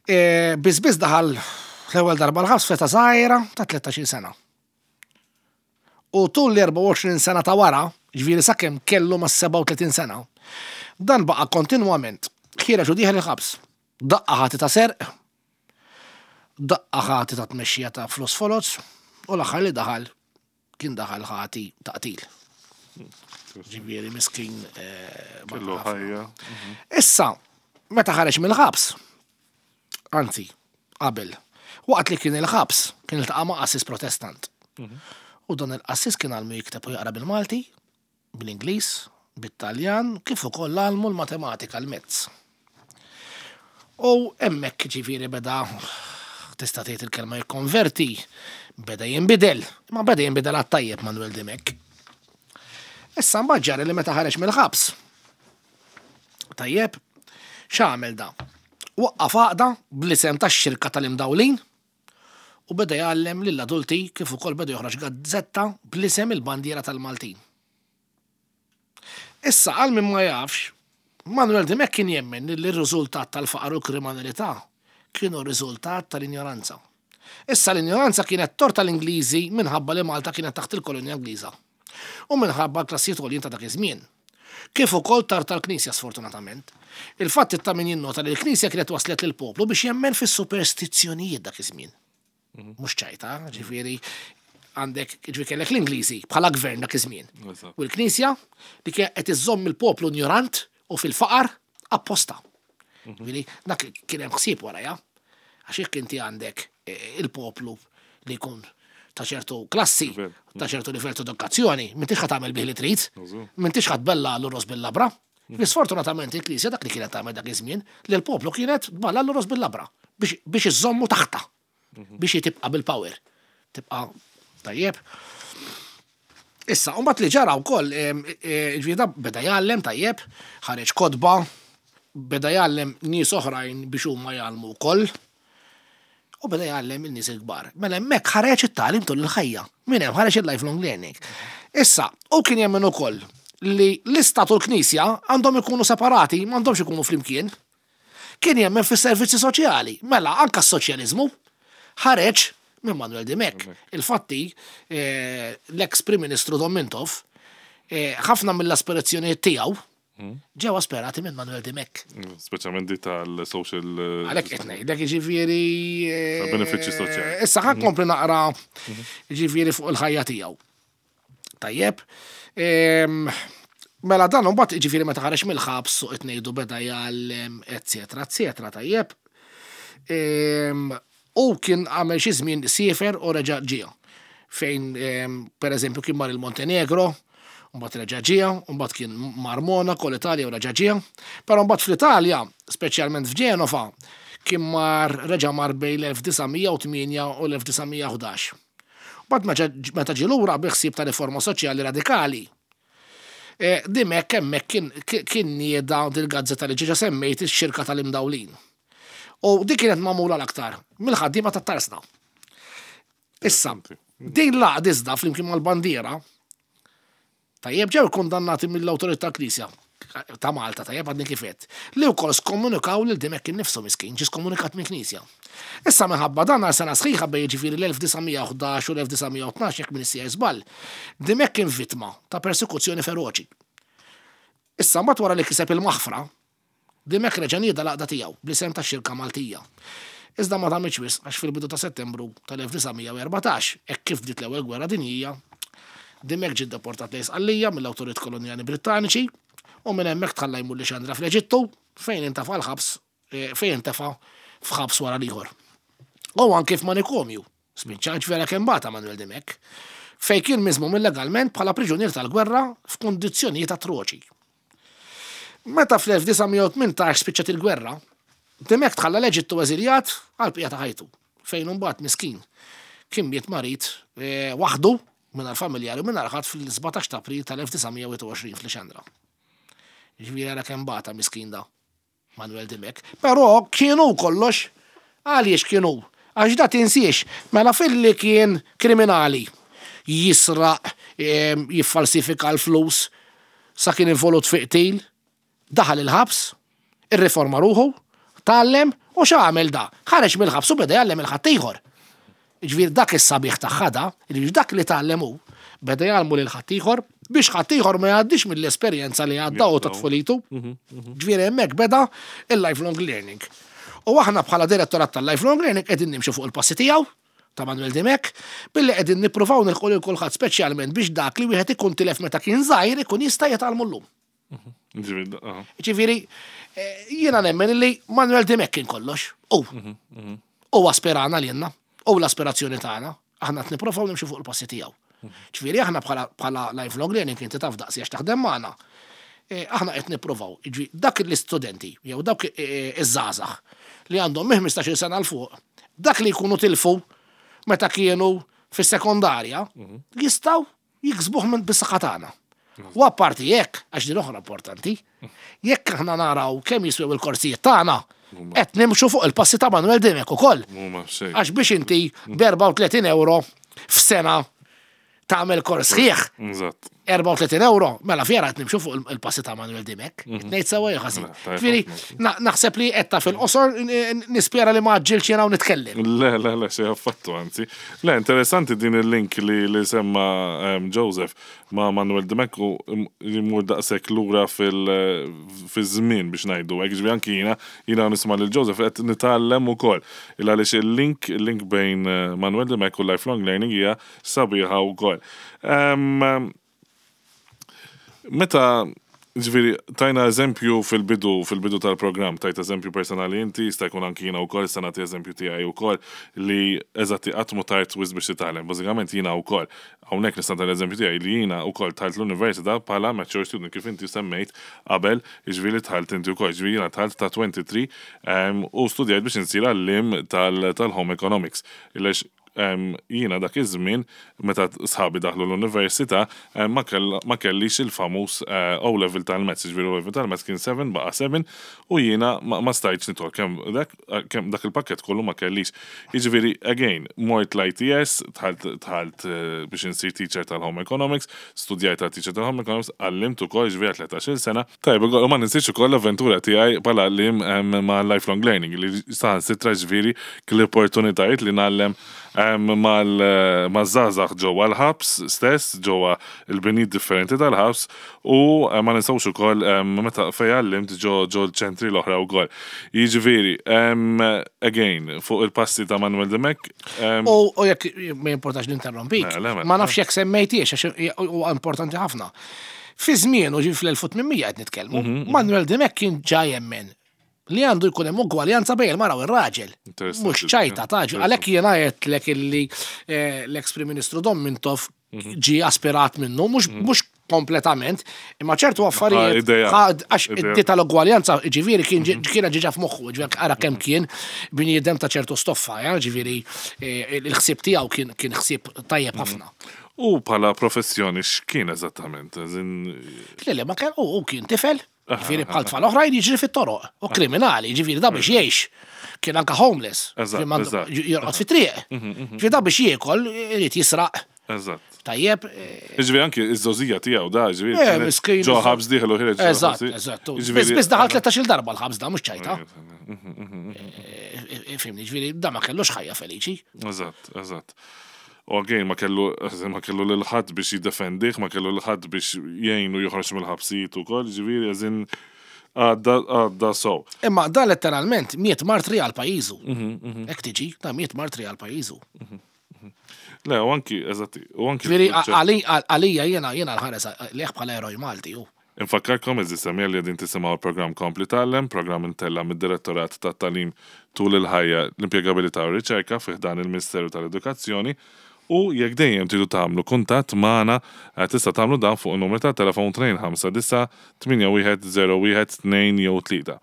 Speaker 3: E, Biss biss daħal l-ewwel darba l-ħabs f'età żgħira ta' tlettax-il sena. U tul l-erbgħa u għoxrin sena ta' wara, ġifieri sakemm kellu ma' sebgħa u tletin sena, dan baqa' kontinwament ħiereġ u dieħel il-ħabs. Daqqa ħati ta' serq, Daqqa ħati ta' tmexxija ta' flus foloz u l-aħħar li daħal kien daħal ħati ta' qtil. Ġifieri miskin. eh,
Speaker 2: Kellu ħajja.
Speaker 3: Issa, meta ħareġ mill-ħabs, anzi, qabel, waqt li kien il-ħabs, kien iltaqa' ma' qassis Protestant. U dan il-qassis kien għallmu jikteb u jaqra bil-Malti, bil-Ingliż, bit-Taljan, kif ukoll għallmu l-matematika l-mezz. U hemmhekk ġifieri beda tista' tgħid il-kelma jikkonverti, beda jinbidel, ma beda jinbidel għat-tajjeb Manuel Dimech. Issa mbagħad ġara li meta ħareġ mill-ħabs. Tajjeb, x'għamel da? Waqqaf għaqda bl-isem tax-xirka tal-imdawlin u beda jgħallem lill-adulti kif ukoll beda joħroġ gazzetta bl-isem il-bandiera tal-Maltin. Issa għal min ma jafx, Manuel Dimech kien jemmen li r-riżultat tal-faqar u l-kriminalità kienu riżultat tal-injoranza. Issa l-injoranza kienet tort tal-Ingliżi minħabba li Malta kienet taħt il-kolonja Ingliża u minħabba l-klassijiet għoljin ta' dak iż-żmien. Kif ukoll tort tal-Knisja sfortunatament. Il-fatt ta' min jinnota li l-Knisja kienet waslet lil poplu biex jemmen fis-superstizzjonijiet dak iż-żmien. Mhux ċajta, ġifieri għandek ġifieri kellek l-Ingliżi bħala gvern dak iż-żmien.
Speaker 2: Eżatt.
Speaker 3: U l-Knisja li kienet qed iżżomm il-poplu ignorant u fil-faqar apposta. Ġifieri dak kien hemm ħsieb warajha. Għax jekk inti għandek eh, il-poplu li jkun ta' ċertu klassi,
Speaker 2: Livell.
Speaker 3: ta' ċertu livell ta' edukazzjoni, m'intix ħa tagħmel bih li trid,
Speaker 2: Eżatt.
Speaker 3: m'intix ħa tbellagħlu ross bil-labra. Sfortunatament il-Knisja dak li kienet tagħmel dak iż-żmien li l-poplu kienet tbellagħlu ross bil-labra biex biex iżommu taħta, biex tibqa' bil-power. Tibqa' tajjeb. Issa, mbagħad li ġara wkoll, em, e, ġifieri da beda jgħallem tajjeb, ħareġ kotba, beda jgħallem nies oħrajn biex huma jgħallmu wkoll. U beda jgħallem il-nies il-kbar. Mela hemmhekk ħareġ it-tagħlim tul il-ħajja. Min hemm ħareġ il-lifelong learning. Issa, u kien jemmen ukoll li l-istat u l-knisja għandhom ikunu separati, m'għandhomx ikunu flimkien. Kien jemmen fis-servizzi soċjali. Mela anka s-soċjaliżmu ħareġ minn Manuel Dimech. Il-fatti, eh, l-ex Prim Ministru Dom Mintoff, eh, ħafna mill-aspirazzjonijiet tiegħu ġew asperati minn Manuel Dimech.
Speaker 2: Speċjalment di tal-social. eh,
Speaker 3: Għalhekk qed ngħidlek jiġifieri. eh,
Speaker 2: Benefiċċji soċjali.
Speaker 3: Issa ħa nkompli naqra jiġifieri fuq il-ħajja tiegħu. Tajjeb. Em, Mela dan mbagħad jiġifieri meta ħareġ mill-ħabs suq qed ngħidu beda jgħallem, eċetera, eċetera, tajjeb. Em, U kien għamel xi żmien siefer u reġa' ġie. Fejn em, per eżempju kien mar il-Montenegro, mbagħad reġa' ġie, mbagħad kien mar Monaco, l-Italja u reġa' ġie. Però mbagħad fl-Italja, speċjalment f'Ġenova, kien mar reġa' mar bejn l-elf disa' mija u tmienja u l-elf disa' mija u ħdax. Mbagħad meta- meta ġie lura bi ħsieb ta' riforma soċjali radikali. E, Dimech hemmhekk kien kien nieda dil-gazzetta li ġiġa semmejt, ix-xirka tal-imdawlin. U dik kienet magħmula l-aktar mill-ħaddiema tat-tarsna. Issa, din l-għaqda iżda flimkien mal-bandiera, tajjeb, ġew kondannati mill-awtorità Knisja ta' Malta, tajjeb, għadni kif għedt, li wkoll skomunikaw lil Dimech innifsu miskin, ġie skomunikat minn Knisja. Issa minħabba dan għal sena sħiħa bejn ġifieri l-elf disa' mija u ħdax u l-elf disa' mija u tnax, jekk minn sija żball, Dimech kien vittma ta' persekuzzjoni feroċi. Issa mbagħad wara li kiseb il-maħfra, Dimech reġa' nieda l-għaqda tiegħu bl-isem ta' Xirka Maltija. Iżda ma damitx wisq għax fil-bidu ta' Settembru tal-elf disa' mija u erbatax, hekk kif bdiet l-ewwel gwerra dinjija, Dimech ġie deportat lejn Sqallija mill-awtorit kolonjali Brittaniċi u minn hemmhekk tħalla jmur Lixandra fl-Eġittu fejn intefa' l-ħabs eh, fejn intefa' f'ħabs wara l-ieħor. U anke f'manikomju, spiċċa vera kemm bata Manuel Dimech, fejn kien miżmum illegalment bħala priġunier tal-gwerra f'kundizzjonijiet atroċi. Meta fl-elf disa' mija u tmintax spiċċat il-gwerra, Dimech tħalla l-Eġittu eżiljat għal bqija ta' ħajtu, fejn mbagħad miskin kien miet marit eh, waħdu mingħajr familjari u mingħajr ħadd fil-sbatax ta' April tal-elf disa' mija u wieħed u għoxrin f'Lixandra. Ġifieri ara kemm bata miskin da Manuel Dimech. Però kienu kollox, għaliex kienu? Għax da tinsiex, mela filli kien kriminali, jisraq, em, jiffalsifika l-flus, sa kien involut fi qtil, daħal il-ħabs, irriforma ruħu, tgħallem u x'għamel da? Ħareġ mill-ħabs u beda jgħallem il-ħaddieħor. Ġifieri dak is-sabiħ tagħha da, ġifieri dak li tgħallem hu, beda jgħallmu lil ħaddieħor biex ħaddieħor ma jgħaddix mill-esperjenza li għadda u ta' tfulitu. Ġifieri hemmhekk beda il-lifelong learning. U aħna bħala direttorat tal-Lifelong Learning qegħdin nimxu fuq il-passi tiegħu ta' Manuel Dimech, billi qegħdin nippruvaw nilħqu lil kulħadd, speċjalment biex dak li wieħed ikun tilef meta kien żgħir ikun jista' jitgħallmu llum.
Speaker 2: Ġifieri, aha.
Speaker 3: Ġifieri, eh, jiena nemmen li Manuel Dimech kien kollox. U u aspirana li jenna, u l-aspirazzjoni tagħna, aħna qed nippruvaw nimxu fuq il-passi tiegħu. Ġifieri aħna bħala bħala Lifelong Learning, inti taf daqsi għax taħdem magħna. Eh, Aħna qed nippruvaw, ġi dak l-istudenti jew dawk eh, iż-żgħażagħ li għandhom minn ħmistax-il sena 'l fuq, dak li jkunu tilfu meta kienu fis-sekondarja, jistgħu jiksbuh minn bis-saħħa tagħna. U apparti jekk, għax din oħra importanti, jekk aħna naraw kemm jiswew il-korsijiet tagħna, qed nimxu fuq il-passi ta' Manuel Dimech ukoll.
Speaker 2: Mhuma xejn.
Speaker 3: Għax biex inti b'erbgħa u tletin euro f'sena tagħmel kors sħiħ,
Speaker 2: Eżatt.
Speaker 3: erbgħa u tletin euro, mela fjera qed nimxu fuq il-passi ta' Manuel Dimech. Ngħid sewwa jew ħażin?
Speaker 2: Mela, tajjeb
Speaker 3: Ġifieri,
Speaker 2: ħafna.
Speaker 3: na- naħseb li qed ta' fil-qosor, nispera li ma għaġġilx jiena u nitkellem.
Speaker 2: Le, le, le, xejn affattu, anzi. Le, interessanti din il-link li, li semma um, Joseph ma' Manuel Dimech u li mur daqshekk lura fil-żmien biex ngħidu. Hekk ġifieri anki jiena, jiena nisma' lil Joseph qed nitgħallem ukoll. Il għaliex il-link, il-link bejn eh, Manuel Dimech u Lifelong Learning hija sabiħa wkoll. Um, Meta, ġifieri, tajna eżempju fil-bidu, fil-bidu tal-programm, tajt eżempju personali inti, jista' jkun anki jiena wkoll, sta nagħti eżempju tiegħi wkoll li eżatti qatt mhu tard wisq biex titgħallem. Bażikament jiena wkoll, hawnhekk nista' nagħti l-eżempju tiegħi li jiena wkoll dħalt l-università bħala mature student, kif inti semmejt qabel, ġifieri dħalt inti wkoll, ġifieri jiena dħalt ta' tlieta u għoxrin em, u studjajt biex insir għalliem tal-home economics. Illex em, jiena dak iż-żmien meta sħabi daħlu l-università em, ma kell- ma kellix il-famuż eh, O-level tal-maths, ġifieri O-level tal-maths kien seba', baqa' seba' u jiena ma ma stajtx nidħol kemm dak kemm dak il-pakket kollu ma kellix. Jiġifieri again, mort l-I T S, dħalt dħalt eh, biex insir teacher tal-home economics, studjajt tal teacher tal-home economics, għallimt ukoll ġifieri tlettax-il sena. Tajb, u ma ninsiex ukoll l-avventura tiegħi bħala għalliem em, ma' Lifelong Learning li saħansitra ġifieri l-opportunitajiet li ngħallem em, mal-żgħażagħ ġewwa l-ħabs stess, ġewwa il-binijiet differenti tal-ħabs u eh, ma ninsawx ukoll em, meta fej għallimt ġo ġo l-ċentri l-oħra wkoll. Jiġifieri, em, again, fuq il-passi ta' Manuel Dimech, em,
Speaker 3: U u jekk ma jimportax ninterrompik,
Speaker 2: Le, le, mela.
Speaker 3: ma nafx jekk semmejtiex, għax huwa importanti ħafna. Fi żmien u ġi fl-elf u tmien mija qed nitkellmu,
Speaker 2: Mhm,
Speaker 3: Manuel Dimech kien ġa jemmen li għandu jkun hemm ugwaljanza bejn il-mara u r-raġel.
Speaker 2: Interessanti.
Speaker 3: Mhux ċajta ta' ġi, għalhekk jiena għedtlek illi eh, l-ex Prim Ministru Dom Mintoff
Speaker 2: Mhm.
Speaker 3: ġi aspirat minnu, mhux mhux kompletament, imma ċertu affarijiet
Speaker 2: idea.
Speaker 3: ħad- għax
Speaker 2: Idea.
Speaker 3: id tal-ugwaljanza ġifieri kien ġi- kienet ġiġa f'moħħu, ġifieri ara kemm kien bniedem ta' ċertu stoffa, ja, ġifieri eh, il-ħsieb tiegħu kien kien ħsieb tajjeb ħafna.
Speaker 2: U bħala professjoni x'kien eżattament? Eżin,
Speaker 3: Le, le, ma kien u u kien tifel, ġifieri bħal tfal oħrajn jiġri fit-toroq, u kriminali, ġifieri da biex jgħix. Kien anka homeless,
Speaker 2: Eżatt,
Speaker 3: ġifieri m'għandu-
Speaker 2: eżatt.
Speaker 3: jorqod fit-triq. Ġifieri da biex jiekol irid jisraq.
Speaker 2: Eżatt.
Speaker 3: Tajjeb, eh,
Speaker 2: Ġifieri anki iż-żgħożija tiegħu da, ġifieri.
Speaker 3: Eh,
Speaker 2: kienet
Speaker 3: miskin.
Speaker 2: Ġo ħabs dieħel u ħireġ. ġo
Speaker 3: Eżatt,
Speaker 2: ħabs.
Speaker 3: eżatt.
Speaker 2: Ġifieri-
Speaker 3: Biss biss daħal tlettax-il darba l-ħabs da, mhux ċajta. Eh, Fhimni, ġifieri da ma kellux ħajja feliċi.
Speaker 2: Eżatt, eżatt. U again, ma kellu, ma kellu lil ħadd biex jiddefendih, ma kellu lil ħadd biex jgħinu joħroġ mill-ħabsijiet ukoll, ġifieri eżin għadda għadda so.
Speaker 3: Imma da letteralment miet martri għal pajjiżu. Hekk tiġi, da miet martri għal pajjiżu.
Speaker 2: Le, u anki, eżatti, u anki.
Speaker 3: Ġifieri għalija jiena jiena nħares lejh bħala eroj Malti ju.
Speaker 2: Infakkarkom, għeżież semmiegħa, li qegħdin tisimgħu l-programm Kompli Tgħallem, programm imtella' mid-Direttorat ta' Tagħlim tul il-ħajja, l-impjegabilità u r-riċerka fi ħdan il-Ministeru tal-Edukazzjoni, u jekk dejjem tridu tagħmlu kuntatt magħna eh, tista' tagħmlu dan fuq in-numru ta' telefon tnejn ħamsa disgħa tmienja wieħed żero wieħed tnejn jew tlieta.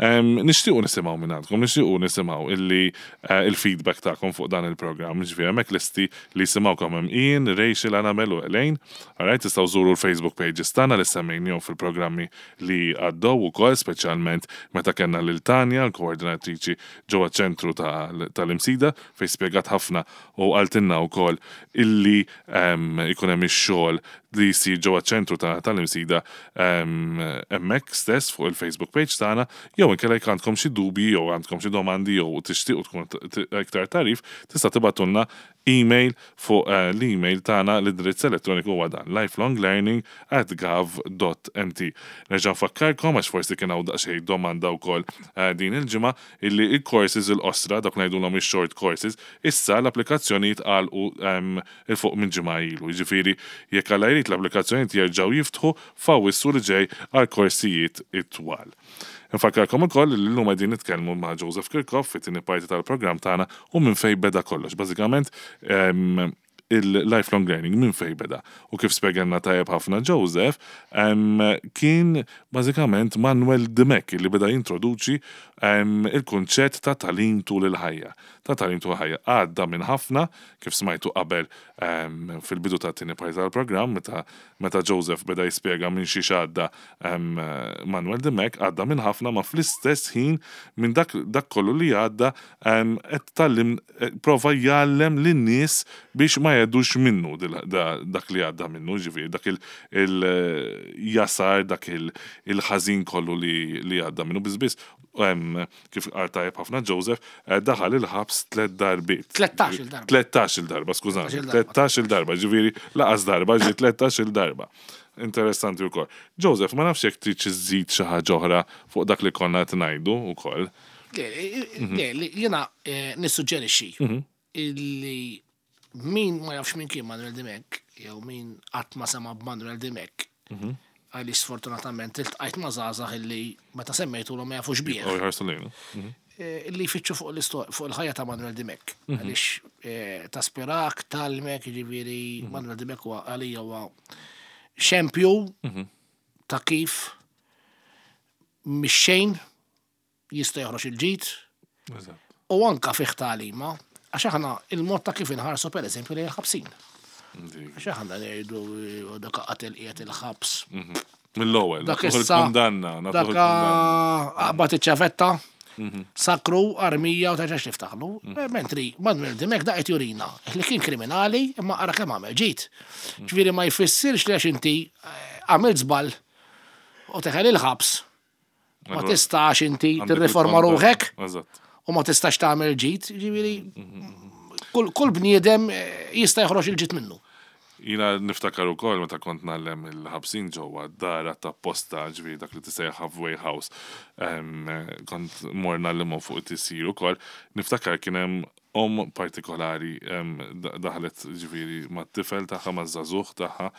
Speaker 2: Em, Nixtiequ nisimgħu minn għandkom, nixtiequ nisimgħu illi eh, il-feedback tagħkom fuq dan il-programm. Ġifieri hemmhekk lesti li jisimgħukom hemm Ian, Rachel, Annabel u Elaine. Alright, tistgħu żuru l-Facebook pages tagħna li semmejnihom fil-programmi li għaddew ukoll, speċjalment meta kellna lil Tanja, l-koordinatriċi ġewwa ċentru tal-Imsida, fejn spjegat ħafna u qaltilna wkoll illi em, ikun hemm ix-xogħol li jsir ġewwa ċentru tagħna tal-Imsida hemmhekk stess fuq il-Facebook page tagħna, jew inkella jekk għandkom xi dubji jew għandkom xi domandi jew tixtiequ tkun iktar tagħrif, tista' tibgħatulna email fuq eh, l-email tagħna. L-indirizz elettroniku huwa dan: lifelonglearning at gov dot M T. Nerġa' nfakkarkom, għax forsi kien hawn daqsxejn domanda wkoll eh, din il-ġimgħa, illi il-courses il-qosra, dak ngħidulhom ix-short courses, issa l-applikazzjonijiet għalqu 'il fuq minn ġimgħa ilu. Jiġifieri jekk Alla jrid, l-applikazzjonijiet jerġgħu jiftħu f'Awwissu li ġej għal korsijiet it-twal. Nfakkarkom ukoll li llum qegħdin nitkellmu ma' Joseph Kirkhoff fit-tieni parti tal-programm tagħna u minn fejn beda kollox. Bażikament il-lifelong learning minn fejn beda. U kif spjegalna tajjeb ħafna Joseph, kien bażikament Manuel Dimech li beda jintroduċi il-kunċett ta' tagħlim tul il-ħajja. Ta' tagħlim tul il-ħajja. Għadda minn ħafna, kif smajtu qabel fil-bidu ta' tieni parti tal-programm, meta, meta Joseph beda jispjega minn xi għadda Manuel Dimech, għadda minn ħafna, ma fl-istess ħin minn dak, dak kollu li għadda qed tgħallem, prova jgħallem lin-nies biex ma jgħaddux minnu dak li għadda minnu, ġifieri, dak il-jasar, dak il-ħażin kollu li għadda minnu. Bizbis, kif qal tajjeb ħafna Joseph, daħal il-ħabs tlet darbiet.
Speaker 3: tlettax-il darba.
Speaker 2: tlettax-il darba, skużani. tlettax-il darba, ġifieri, lanqas darba, ġi tlettax-il darba. Interessanti wkoll. Joseph, ma nafx jekk trid iżżid xi ħaġa oħra fuq dak li konna qed ngħidu wkoll.
Speaker 3: Le, jiena nissuġġerixxi illi min ma jafx min kien Manuel Dimech, jew min qatt ma sema b'Manuel Dimech, għaliex sfortunatament iltqajt ma' żgħażagħ illi meta semmejtu ma jafux bih.
Speaker 2: U jħarsu lejna.
Speaker 3: Illi jfittxu fuq fuq il-ħajja ta' Manuel Dimech. Għaliex taspirak, tgħallmek, ġifieri Manuel Dimech huwa għalija huwa xempju ta' kif mix-xejn jista' joħroġ il-ġid u anka fih tagħlima, għax aħna il-mod ta' kif inħarsu, per eżempju, li l-ħabsin. Għax aħna ngħidu dak qatel, qiegħed il-ħabs.
Speaker 2: Mill-ewwel,
Speaker 3: Dak issa
Speaker 2: kundanna.
Speaker 3: Dak qabad iċ-ċavetta, sakru, armija u terġax tiftaħlu. Mentri Manuel Dimech da qed jurina li kien kriminali imma ara kemm għamel ġid. Ġifieri ma jfissirx li għax inti għamilt żball u teħel il-ħabs ma tistax inti tirriforma ruħek u ma tistax tagħmel ġid, ġifieri kull, kull bniedem jista' joħroġ il-ġid minnu.
Speaker 2: Jiena niftakar ukoll meta kont ngħallem il-ħabsin ġewwa dara ta' posta, ġifieri dak li tisejjaħ halfway house. Kont mor ngħallimhom fuq it-tisjir ukoll. Niftakar kien hemm om partikolari daħlet, ġifieri, mat-tifel tagħha, maż-żagħżugħ tagħha,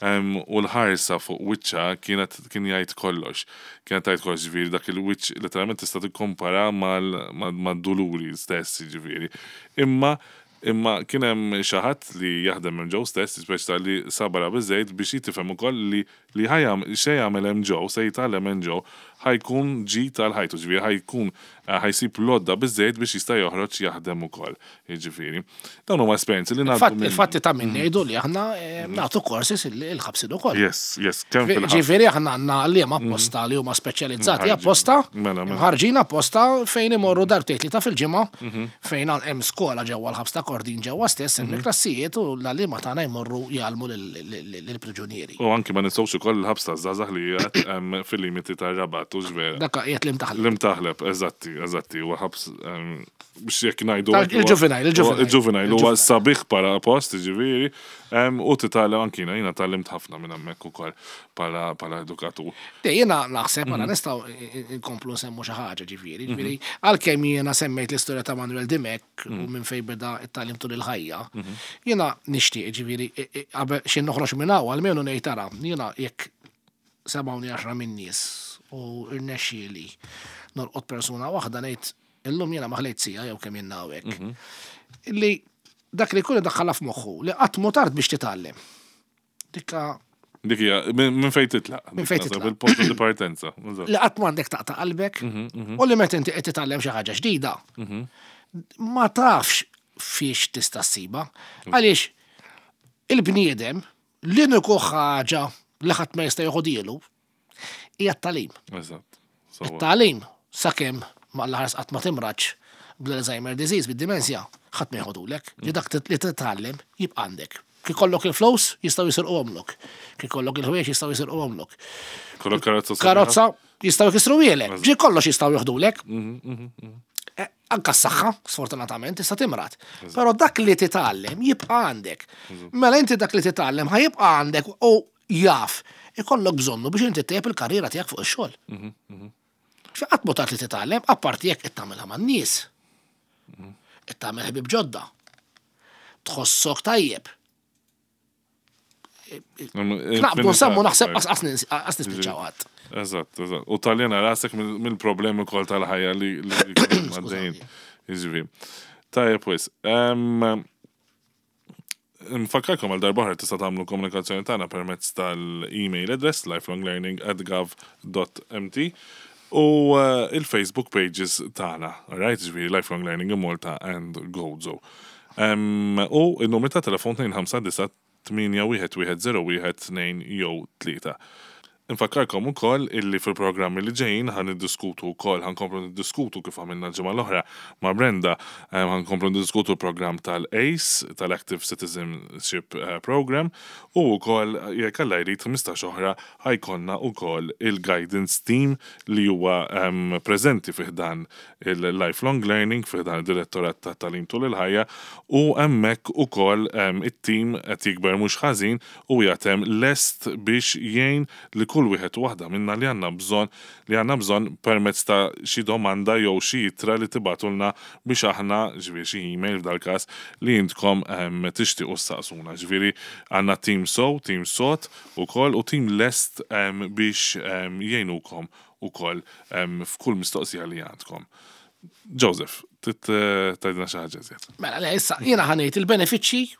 Speaker 2: u l-ħarsa fuq wiċċha kienet kien jgħid kollox. Kienet tgħid kollox, ġifieri dak il-wiċċ letteralment tista' tikkompara mad-duluri stess, ġifieri. Imma Imma kien hemm xi ħadd li jaħdem minn ġew stess, speċi li sabara biżejjed biex jitifhem ukoll li li ħajam xe jagħmel hemm ġew, se jitgħallem hemm ġew, ħa jkun ġid għal ħajtu, ġifieri ħa jkun ħa jsib lodda biżejjed biex jista' joħroġ jaħdem ukoll. Jiġifieri. Dawn huma esperjenzi li ngħaddu.
Speaker 3: Il-fatti ta' min ngħidu li aħna nagħtu courses il-ħabsin ukoll.
Speaker 2: Yes, yes, kemm fil-ħabs.
Speaker 3: Ġifieri aħna għandna għalliema apposta li huma speċjalizzati apposta,
Speaker 2: Mela, mela.
Speaker 3: ħarġin apposta fejn imorru darbtejn tlieta fil-ġimgħa, fejn hemm skola ġewwa l-ħabs ta' Kordin ġewwa stess, hemm klassijiet u l-għalliema tagħna jmorru jgħallmu lill-priġunieri.
Speaker 2: U anki ma nistgħux ukoll il-ħabs ta' żgħażagħ li qiegħed fil-limiti tar-Rabat, u vera.
Speaker 3: Dak qiegħed l-Imtaħleb.
Speaker 2: L-Imtaħleb, eżatti, eżatti, huwa ħabs biex jekk ngħidu.
Speaker 3: Il-juvenile, il-juvenile.
Speaker 2: Il-juvenile huwa sabiħ para post, ġifieri, u titgħallem anki jiena tgħallimt ħafna minn hemmhekk ukoll bħala edukatur.
Speaker 3: Jiena naħseb għala nistgħu nkomplu nsemmu xi ħaġa, ġifieri, ġifieri għalkemm jiena semmejt l-istorja ta' Manuel Dimech u minn fejn beda it-tagħlim tul il-ħajja, jiena nixtieq, ġifieri, qabel xi noħroġ minn hawn almenu ngħid tara, jiena jekk semgħuni għaxra minn nies u irnexxieli nolqot persuna waħda, ngħid illum jiena ma ħlejt siegħa jew kemm jien hawnhekk. Illi dak li jkun daħħalha f'moħħu li qatt mhu tard biex titgħallem. Dikka
Speaker 2: Dik hija minn fejn titlaq.
Speaker 3: Minn fejn titlaq.
Speaker 2: Il-punt di partenza.
Speaker 3: Li qatt m'għandek taqta' qalbek u li meta inti qed titgħallem xi ħaġa ġdida, ma tafx fiex tista' ssiba. Għaliex il-bniedem l-uniku ħaġa li ħadd ma jista' joħodielu hija t-tagħlim.
Speaker 2: Eżatt.
Speaker 3: It-tagħlim, sakemm ma l-ħars qatt ma timraġ bl-Alzheimer disease, bid-dimensja, ħadd ma jħodulek. Li dak li titgħallem jibqa' għandek. Kif ikollok il-flus, jistgħu jisirquhomlok. Kif ikollok il-ħwejjeġ, jistgħu jisirquhomlok.
Speaker 2: Kollok karozza sabiħa.
Speaker 3: Karozza jistgħu jkissruhielek. Ġi kollox jistgħu joħdulek. Eh, Anka s-saħħa, sfortunatament, tista' timrad. Però dak li titgħallem jibqa' għandek. Mela inti dak li titgħallem ħa jibqa' għandek u jaf ikollok bżonnu biex inti ttejjeb il-karriera tiegħek fuq ix-xogħol. Qatt mhu tard li titgħallem, apparti jekk qed tagħmilha man-nies. Qed tagħmel ħbieb ġodda. Tħossok tajjeb. Naqbdu nsemmu naħseb qas qas nispiċċaw qatt.
Speaker 2: Eżatt, eżatt. U taljena rasek mill- mill-problemi kol tal-ħajja li li għaddejn. Jiġifieri. Tajjeb wis. Em, Nfakkarkom għal darba oħra tista' tagħmlu komunikazzjoni tagħna permezz tal-email address lifelonglearning at gov dot M T u eh, il-Facebook pages tagħna, alright, ġifieri Lifelong Learning in Malta and Gozo. Em, U il-numru ta' telefon tnejn ħamsa disa' tmienja wieħed wieħed żero wieħed tnejn jew tlieta. Infakkarkom ukoll illi fil-programmi li ġejjin ħa niddiskutu wkoll, ħa nkomplu niddiskutu kif għamilna l-ġimgħa l-oħra ma' Brenda, eh, ħa nkomplu niddiskutu l-programm tal-ACE, tal-Active Citizenship eh, Program, u wkoll jekk Alla jrid ħmistax oħra ħa jkollna wkoll il-Guidance Team li huwa em, preżenti fih dan il-Lifelong Learning, fih dan il-Direttorat ta' Tagħlim tul il-Ħajja, u hemmhekk ukoll em, it-team qed jikber mhux ħażin u jaħdem lest biex jgħin li kull wieħed u waħda minna li għandna bżonn li għandna bżonn permezz ta' xi domanda jew xi ittra li tibagħtulna biex aħna, ġifieri xi email f'dal każ li intkom em, tixtiequ ssaqsuna. Ġifieri għandna team sow, team sot ukoll u team lest em, biex em, jgħinukom ukoll em, f'kull mistoqsija li għandkom. Joseph, tit tgħidilna xi ħaġa iżjed?
Speaker 3: Mela, le, issa, jiena ħa ngħid il-benefiċċji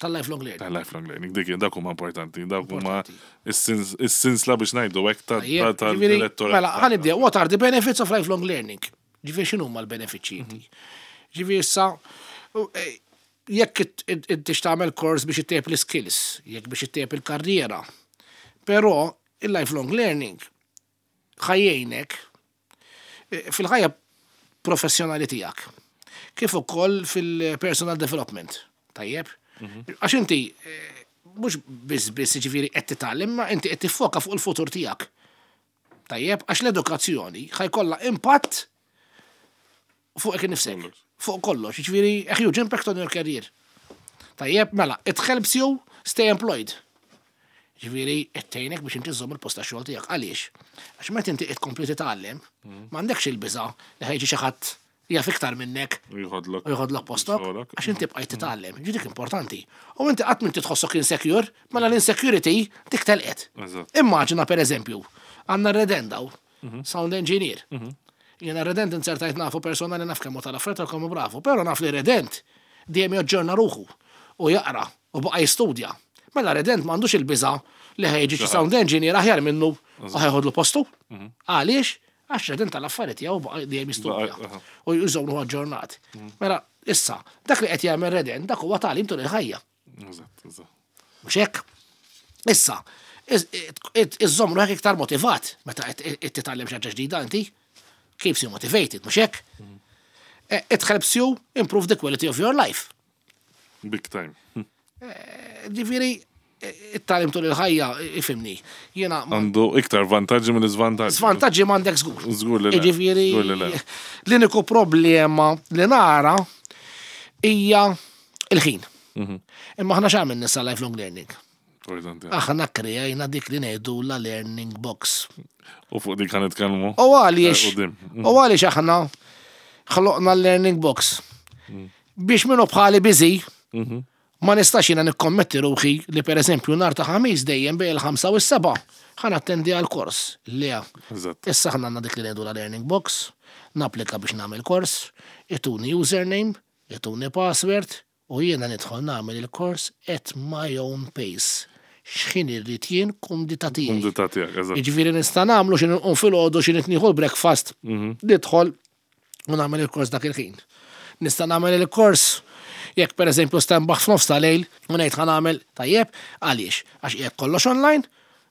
Speaker 3: tal-lifelong learning.
Speaker 2: Ta' lifelong learning, dik dak huma importanti, dak huma
Speaker 3: Importanti.
Speaker 2: is-sins- is-sinsla biex ngħidu hekk ta'
Speaker 3: Tajjeb,
Speaker 2: ta'
Speaker 3: ġifieri,
Speaker 2: tal-direttorat.
Speaker 3: mela, ħa nibdew, what are the benefits of lifelong learning? Ġifieri x'inhu huma l-benefiċċji inti? Ġifieri issa, u, eh, jekk it- it- inti tagħmel kors biex ittejjeb l-skills, jekk biex ittejjeb il-karriera. Però il-lifelong learning ħa jgħinek eh, fil-ħajja professjonali tiegħek. Kif ukoll fil-personal development. Tajjeb? Għax inti eh, mhux biss biss ġifieri qed titgħallem, ma inti qed tiffoka fuq il-futur tiegħek. Tajjeb, għax l-edukazzjoni ħa jkollha impatt fuq innifsek, fuq kollox, ġifieri a huge impact on your career. Tajjeb, mela, it helps you stay employed. Ġifieri, qed tgħinek biex inti żżomm il-post ta' xogħol tiegħek. Għaliex? Għax meta inti qed tkompli titgħallem, m'għandekx il-biża' li ħa jiġi xi ħadd jaf iktar minnek
Speaker 2: Jħodlok.
Speaker 3: u jħodlok postok,
Speaker 2: Xogħolok.
Speaker 3: għax inti bqajt titgħallem. Ġi dik importanti. U inti qatt m'inti tħossok insecure, mela l-insecurity dik telqet.
Speaker 2: Eżatt.
Speaker 3: Immaġina per eżempju, għandna Redend hawn, sound engineer. Jiena Redend inzertajt nafu personali, naf kemm hu tal-affarijiet u kemm hu bravu, però naf li Redend dejjem jaġġorna ruħu u jaqra u baqa' jistudja. Mela Redend m'għandux il-biża' li ħa jiġi xi sound engineer aħjar minnu u ħa jeħodlu postu. Għaliex? Għax Redend tal-affarijiet tiegħu baqa' dejjem jistudja
Speaker 2: Baqa' aha.
Speaker 3: u jżommu aġġornat. Mela, issa, dak li qed jagħmel Redend, dak huwa tagħlim tul il-ħajja.
Speaker 2: Eżatt, eżatt.
Speaker 3: Mhux hekk? Issa, iżżomm ruħek iktar motivat meta qed qed titgħallem xi ħaġa ġdida inti. Keeps you motivated, mhux hekk? Eh, It helps you improve the quality of your life.
Speaker 2: Big time.
Speaker 3: Ġifieri, it-tagħlim tul il-ħajja, ifhimni. Jiena
Speaker 2: Għandu iktar vantaġġi minn iżvantaġġi.
Speaker 3: Svantaġġi m'għandek żgur.
Speaker 2: Żgur li le.
Speaker 3: Ġifieri,
Speaker 2: Żgur li le.
Speaker 3: l-uniku problema li nara hija il-ħin.
Speaker 2: Mhm.
Speaker 3: Imma aħna x'għamilna issa lifelong learning?
Speaker 2: Importanti.
Speaker 3: Aħna kreajna dik li ngħidu la learning box.
Speaker 2: U fuq dik ħa nitkellmu.
Speaker 3: U għaliex,
Speaker 2: Eh, quddiem.
Speaker 3: u għaliex aħna ħloqna l-learning box? Biex minnu bħali busy, ma nistax jiena nikkommetti ruħi li per eżempju nhar ta' Ħamis dejjem bejn il-ħamsa u s-seba' ħa nattendi għal kors. Le,
Speaker 2: Eżatt.
Speaker 3: issa ħna għandna dik li ngħidu la learning box, napplika biex nagħmel kors, ituni username, ituni password, u jiena nidħol nagħmel il-kors at my own pace. X'ħin irrid jien, kumdità tiegħi.
Speaker 2: Kumdità tiegħek, eżatt.
Speaker 3: Jiġifieri nista' nagħmlu xi nqum filgħodu, xi nieħu l-breakfast, nidħol u nagħmel il-kors dak il-ħin. Nista' nagħmel il-kors jekk pereżempju stenbaħ f'nofs ta' lejl u ngħid ħa nagħmel, tajjeb, għaliex? Għax jekk kollox online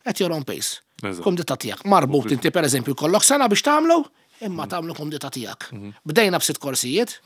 Speaker 3: at your own pace.
Speaker 2: Eżatt.
Speaker 3: Kumdità tiegħek. Marbut inti pereżempju kollok sena biex tagħmlu, imma tagħmlu kumdità tiegħek. Bdejna b'sitt korsijiet,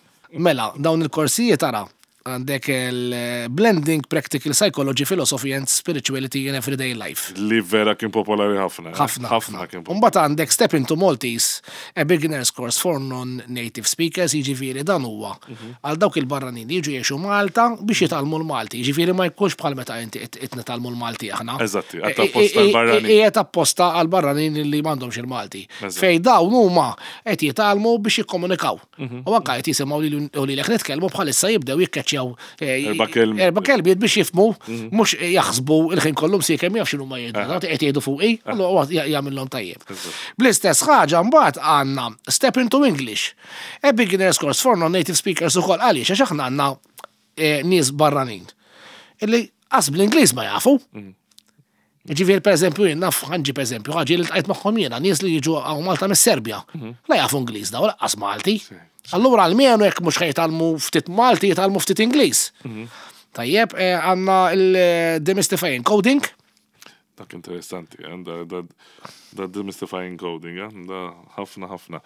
Speaker 3: mela dawn il-korsijiet ara, Għandek il-Blending Practical Psychology, Philosophy and Spirituality in Everyday Life.
Speaker 2: Li vera kien popolari ħafna. eh?
Speaker 3: Ħafna.
Speaker 2: Ħafna kien popolari.
Speaker 3: Mbagħad għandek Step into Maltese, a beginner's course for non-native speakers, jiġifieri dan huwa
Speaker 2: Mhm.
Speaker 3: għal dawk il-barranin li jiġu jgħixu Malta biex jitgħallmu l-Malti. Jiġifieri ma jkunx bħal meta inti qed nitgħallmu l-Malti aħna.
Speaker 2: Eżatti, għad apposta għall-barranin.
Speaker 3: Qiegħed apposta għal barranin li m'għandhomx il-Malti.
Speaker 2: Eżatt.
Speaker 3: Fej dawn huma qed jitgħallmu biex jikkomunikaw.
Speaker 2: Mhm.
Speaker 3: U anke qed jisimgħu lil- u lilek nitkellmu bħalissa jibdew jikkeċċjaw eh,
Speaker 2: Erba' kelmiet.
Speaker 3: Erba' kelmiet biex jifhmu mhux jaħsbu il-ħin kollu msiekem jaf x'inhu ma jgħidu. Dawk qed jgħidu fuqi, allura huwa jagħmilhom tajjeb. Bl-istess ħaġa mbagħad għandna Step into English. A beginner's course for non-native speakers ukoll għaliex għax aħna għandna eh, nies barranin. Illi qas bl-Ingliż ma jafu. Ġifieri, per eżempju, jien naf ħanġi per eżempju, ħaġi li ltqajt magħhom jiena, nies li jiġu hawn Malta mis-Serbja. La jafu Ingliż daw, lanqas Malti. Allura almenu jekk mhux ħajtalmu ftit Malti, jitgħallmu ftit Ingliż. Tajjeb, eh, għandna il-Demystifying Coding.
Speaker 2: Dak interessanti, eh, da, da, da demystifying coding, eh, da ħafna ħafna.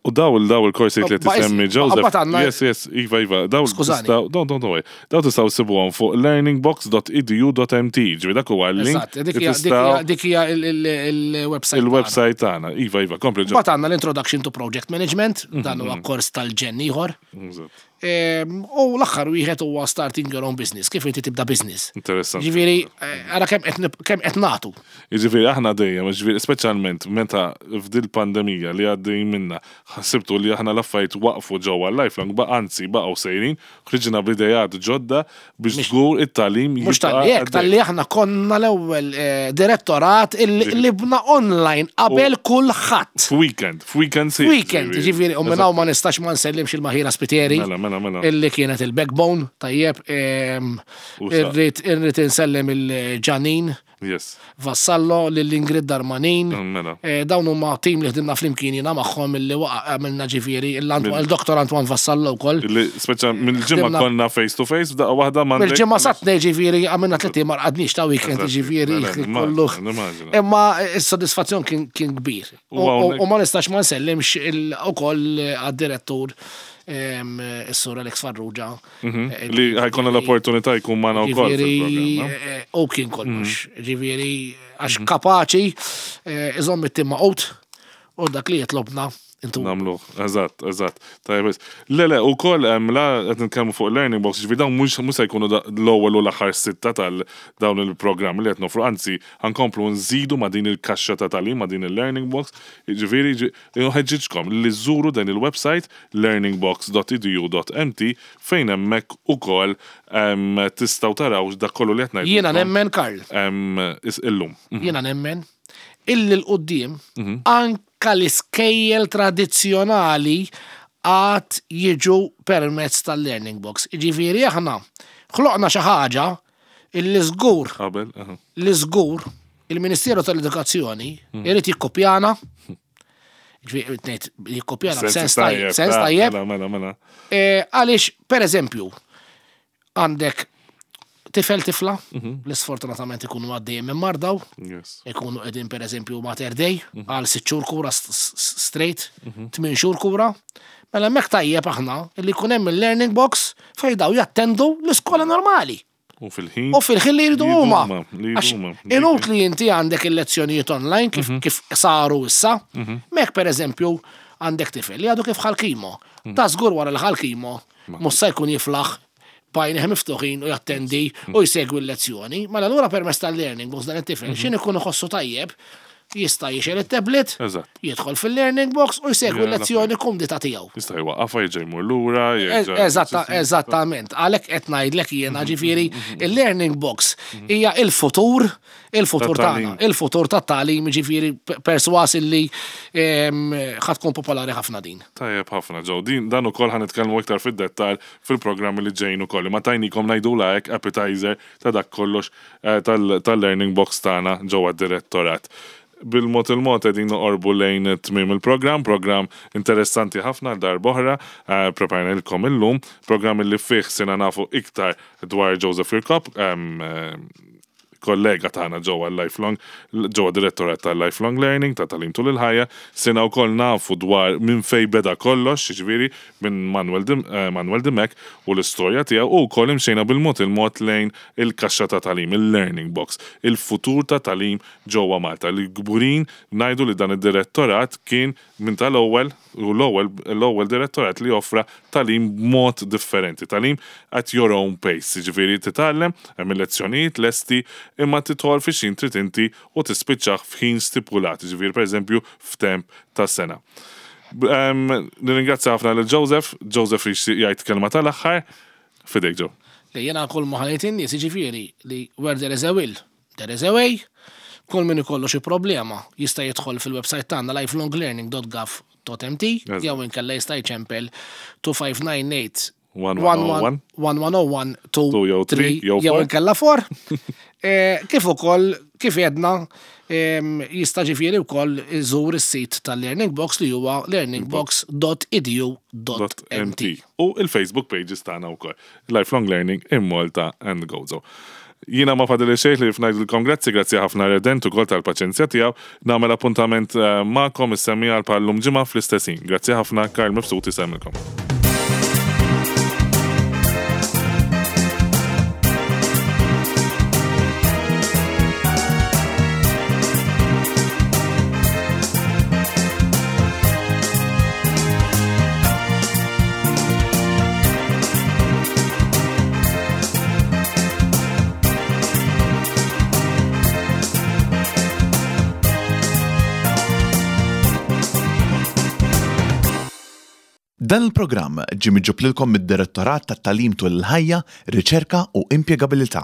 Speaker 2: U daw il daw il-korsi li
Speaker 3: Ba-
Speaker 2: tisemmi
Speaker 3: is-
Speaker 2: Joseph.
Speaker 3: qabad għandna-
Speaker 2: Yes, yes, Iva, Iva. Daw
Speaker 3: Skużani.
Speaker 2: tistgħu- Don't, don't, don't, Daw tistgħu ssibuhom fuq learningbox dot edu dot M T. Ġifieri dak huwa l-link
Speaker 3: Eżatt, dik
Speaker 2: li
Speaker 3: hija- dik
Speaker 2: tistgħu
Speaker 3: hija- dik hija il- il- il-website.
Speaker 2: il-website tagħna. Iva, Iva, kompli ġo.
Speaker 3: Mbagħad għandna l-Introduction to Project Management, dan huwa kors tal-ġenn ieħor.
Speaker 2: Eżatt.
Speaker 3: Em, U l-aħħar wieħed huwa Starting Your Own Business, kif inti tibda business.
Speaker 2: Interessanti.
Speaker 3: Ġifieri, eh, ara kemm qed nib- kemm qed nagħtu.
Speaker 2: Jiġifieri aħna dejjem, ġifieri speċjalment meta f'dil pandemija li għaddej minna, ħsibtu li aħna l-affarijiet waqfu ġewwa lifelong, ba anzi baqgħu sejrin, ħriġna b'idejat ġodda biex żgur it-tagħlim
Speaker 3: Mhux tal-li hekk, tal-li aħna konna l-ewwel eh, direttorat il- li bna online qabel kulħadd.
Speaker 2: F'weekend, f'weekend sħiħ.
Speaker 3: Weekend, ġifieri, u minn hawn ma nistax ma nsellimx il-Maħira Spiteri.
Speaker 2: Mela, mela, mela.
Speaker 3: Illi kienet il-backbone, tajjeb, em,
Speaker 2: U sa-
Speaker 3: irrid irrid insellem il-Ġanin
Speaker 2: Yes.
Speaker 3: Vassallo, lill-Ingrid Darmanin.
Speaker 2: Mela.
Speaker 3: Eh, Dawn huma tim li ħdimna flimkien jiena magħhom illi waqa' għamilna ġifieri il-Dottor Antoine Vassallo wkoll.
Speaker 2: Illi speċa mill-ġimgħa
Speaker 3: Ħdimna-
Speaker 2: konna face to face, f'daqqa waħda ma
Speaker 3: Mill-ġimgħa satnej ġifieri għamilna tliet ma rqadniex ta' weekend
Speaker 2: Eżatt,
Speaker 3: ġifieri
Speaker 2: mela,
Speaker 3: kollu.
Speaker 2: nimmaġina, nimmaġina.
Speaker 3: Imma s-sodisfazzjon kien kien kbir.
Speaker 2: U
Speaker 3: U
Speaker 2: hawnhekk-
Speaker 3: u ma nistax ma nsellimx il- ukoll għad-direttur em, is-sur Alex Farrugia. Eh,
Speaker 2: Li ħa jkollna l-opportunità jkun magħna wkoll
Speaker 3: Ġifieri,
Speaker 2: fil-programm. no?
Speaker 3: eh, u kien kollox. Ġifieri, għax
Speaker 2: Mhm.
Speaker 3: kapaċi eh, iżomm it-tim maqut u dak li jitlobna intu.
Speaker 2: Nagħmluh, eżatt, eżatt. Tajjeb, biss. Le, le, u koll, la, qed nitkellmu fuq Learning Box, ġifieri dawn mhux mhux se jkunu da- l-ewwel u l-aħħar sitta tal dawn il-programmi li qed nofru, anzi, ħa nkomplu nżidu ma' din il-kaxxa ta' tagħlim, ma' din il-Learning Box, ġifieri, ġi- nħeġġiġkom li żżuru dan il-website learningbox dot edu dot M T fejn hemmhekk ukoll em, tistgħu taraw dak kollu li qed ngħidu.
Speaker 3: Jiena nemmen, Karl,
Speaker 2: Illum.
Speaker 3: jiena nemmen illi l-qoddim
Speaker 2: Mhm.
Speaker 3: anka l-iskejjel tradizzjonali għad jiġu permezz tal-Learning Box. Ġifieri aħna ħloqna xi ħaġa illi żgur
Speaker 2: Qabel, aha.
Speaker 3: li żgur il-Ministeru tal-Edukazzjoni
Speaker 2: Mhm.
Speaker 3: irid jikkopjana. Ġifieri, ngħid jikkopjana b'sens tajjeb, sens
Speaker 2: ta'
Speaker 3: tajjeb.
Speaker 2: Mela, mela, mela.
Speaker 3: Eh, Għaliex, per eżempju, għandek tifel tifla,
Speaker 2: Mhm.
Speaker 3: li sfortunatament ikunu għaddejjem minn mardaw,
Speaker 2: Yes.
Speaker 3: ikunu qegħdin per eżempju Mater Dei,
Speaker 2: Mhm.
Speaker 3: għal sitt xhur kura s- s- straight, tmien xhur kura. Mela hemmhekk tajjeb aħna li jkun hemm il-Learning Box fejn daw jattendu l-iskola normali.
Speaker 2: U fil-ħin.
Speaker 3: U fil-ħin li jridu
Speaker 2: Li
Speaker 3: huma.
Speaker 2: huma, li
Speaker 3: Għax
Speaker 2: huma.
Speaker 3: inutli inti għandek il-lezzjonijiet online kif,
Speaker 2: Mhm.
Speaker 3: kif saru issa. Mek per eżempju għandek tifel li għadu kif ħa l-chemo.
Speaker 2: Mhm.
Speaker 3: Ta' żgur wara li ħa l-chemo, mhux se jkun jiflaħ b'għajnejh miftuħin u jattendi
Speaker 2: Mhm.
Speaker 3: u jsegwi l-lezzjoni. Mela allura permezz tal-Learning Box dan it-tifel
Speaker 2: Mhm.
Speaker 3: xin ikun iħossu tajjeb jista' jixgħel it-tablet,
Speaker 2: Eżatt.
Speaker 3: jidħol fil-Learning Box u jsegwi
Speaker 2: Ja,
Speaker 3: l-lezzjoni kumdita tiegħu.
Speaker 2: Jista' jwaqqafha, jerġa' jmur lura, jerġa'
Speaker 3: Eżatta, eżattament. Għalhekk qed ngħidlek jiena ġifieri il-Learning Box hija il-futur, il-futur
Speaker 2: Tat-tagħlim.
Speaker 3: tagħna, il-futur tat-tagħlim ġifieri perswas illi em, ħa tkun popolari ħafna din.
Speaker 2: Tajjeb ħafna ġew. Din dan ukoll ħa nitkellmu iktar fid-dettall fil-programmi li ġejjin ukoll. Ma tajnikom ngħidu hekk appetizer ta' dak kollox eh, tal- tal-Learning Box tagħna ġewwa d-direttorat. Bil-mod il-mod qegħdin noqorbu lejn tmiem il-programm, programm interessanti ħafna darb'oħra, eh, preparajnilkom illum, programm li fih sirna nafu iktar dwar Joseph Kirkop, em, eh, Kollega tagħna ġewwa l-Lifelong, ġewwa direttorat tal-Lifelong Learning, ta' Tagħlim Tul il-Ħajja. Sirna wkoll nafu dwar minn fej beda kollox, jiġifieri minn Manuel Dim, eh, Manuel Dimech u l-istorja tiegħu, u wkoll imxejna bil-mod il-mod lejn il-kaxxa ta' tagħlim, il-learning box, il-futur ta' tagħlim ġewwa Malta. Li kburin ngħidu li dan id-direttorat kien minn tal-ewwel u l-ewwel l-ewwel direttorat li offra tagħlim b'mod differenti, tagħlim at your own pace, jiġifieri titgħallem, hemm il-lezzjonijiet lesti, imma tidħol fi x'ħin trid inti u tispiċċaħ f'ħin stipulat, jiġifieri pereżempju f'temp ta' sena. Nirringrazzja ħafna lil Joseph. Joseph jixtieq jgħid kelma tal-aħħar. Fidejk, Joe.
Speaker 3: Li jena kull ma ħalejt in-nies, jiġifieri li where there is a will, there is a way. Kull min ikollu xi problema jista' jidħol fil-website tagħna lifelonglearning dot gov dot M T
Speaker 2: Eżatt.
Speaker 3: jew inkella jista' jċempel two five nine eight
Speaker 2: one one zero one
Speaker 3: one one zero one
Speaker 2: two jew three jew
Speaker 3: jew
Speaker 2: four.
Speaker 3: inkella four. Eh, Kif ukoll kif għedna em, jista' ġifieri wkoll iżur is-sit tal-Learning Box li huwa learningbox dot edu dot M T.
Speaker 2: M T. U il-Facebook pages tagħna wkoll. Lifelong Learning in Malta and Gozo. Jiena ma fadli xejn ħlief ngħidilkom grazzi, grazzi ħafna Redent ukoll tal-paċenzja tiegħu. Nagħmel appuntament eh, magħkom is-semmiegħa bħal-lum ġimgħa fl-istess ħin. Grazzi ħafna, Karl Mifsud isemmilkom.
Speaker 1: Dan il-programm ġie miġjub lilkom mid-Direttorat tat-Tagħlim Tul il-Ħajja, Riċerka u Impjegabilità.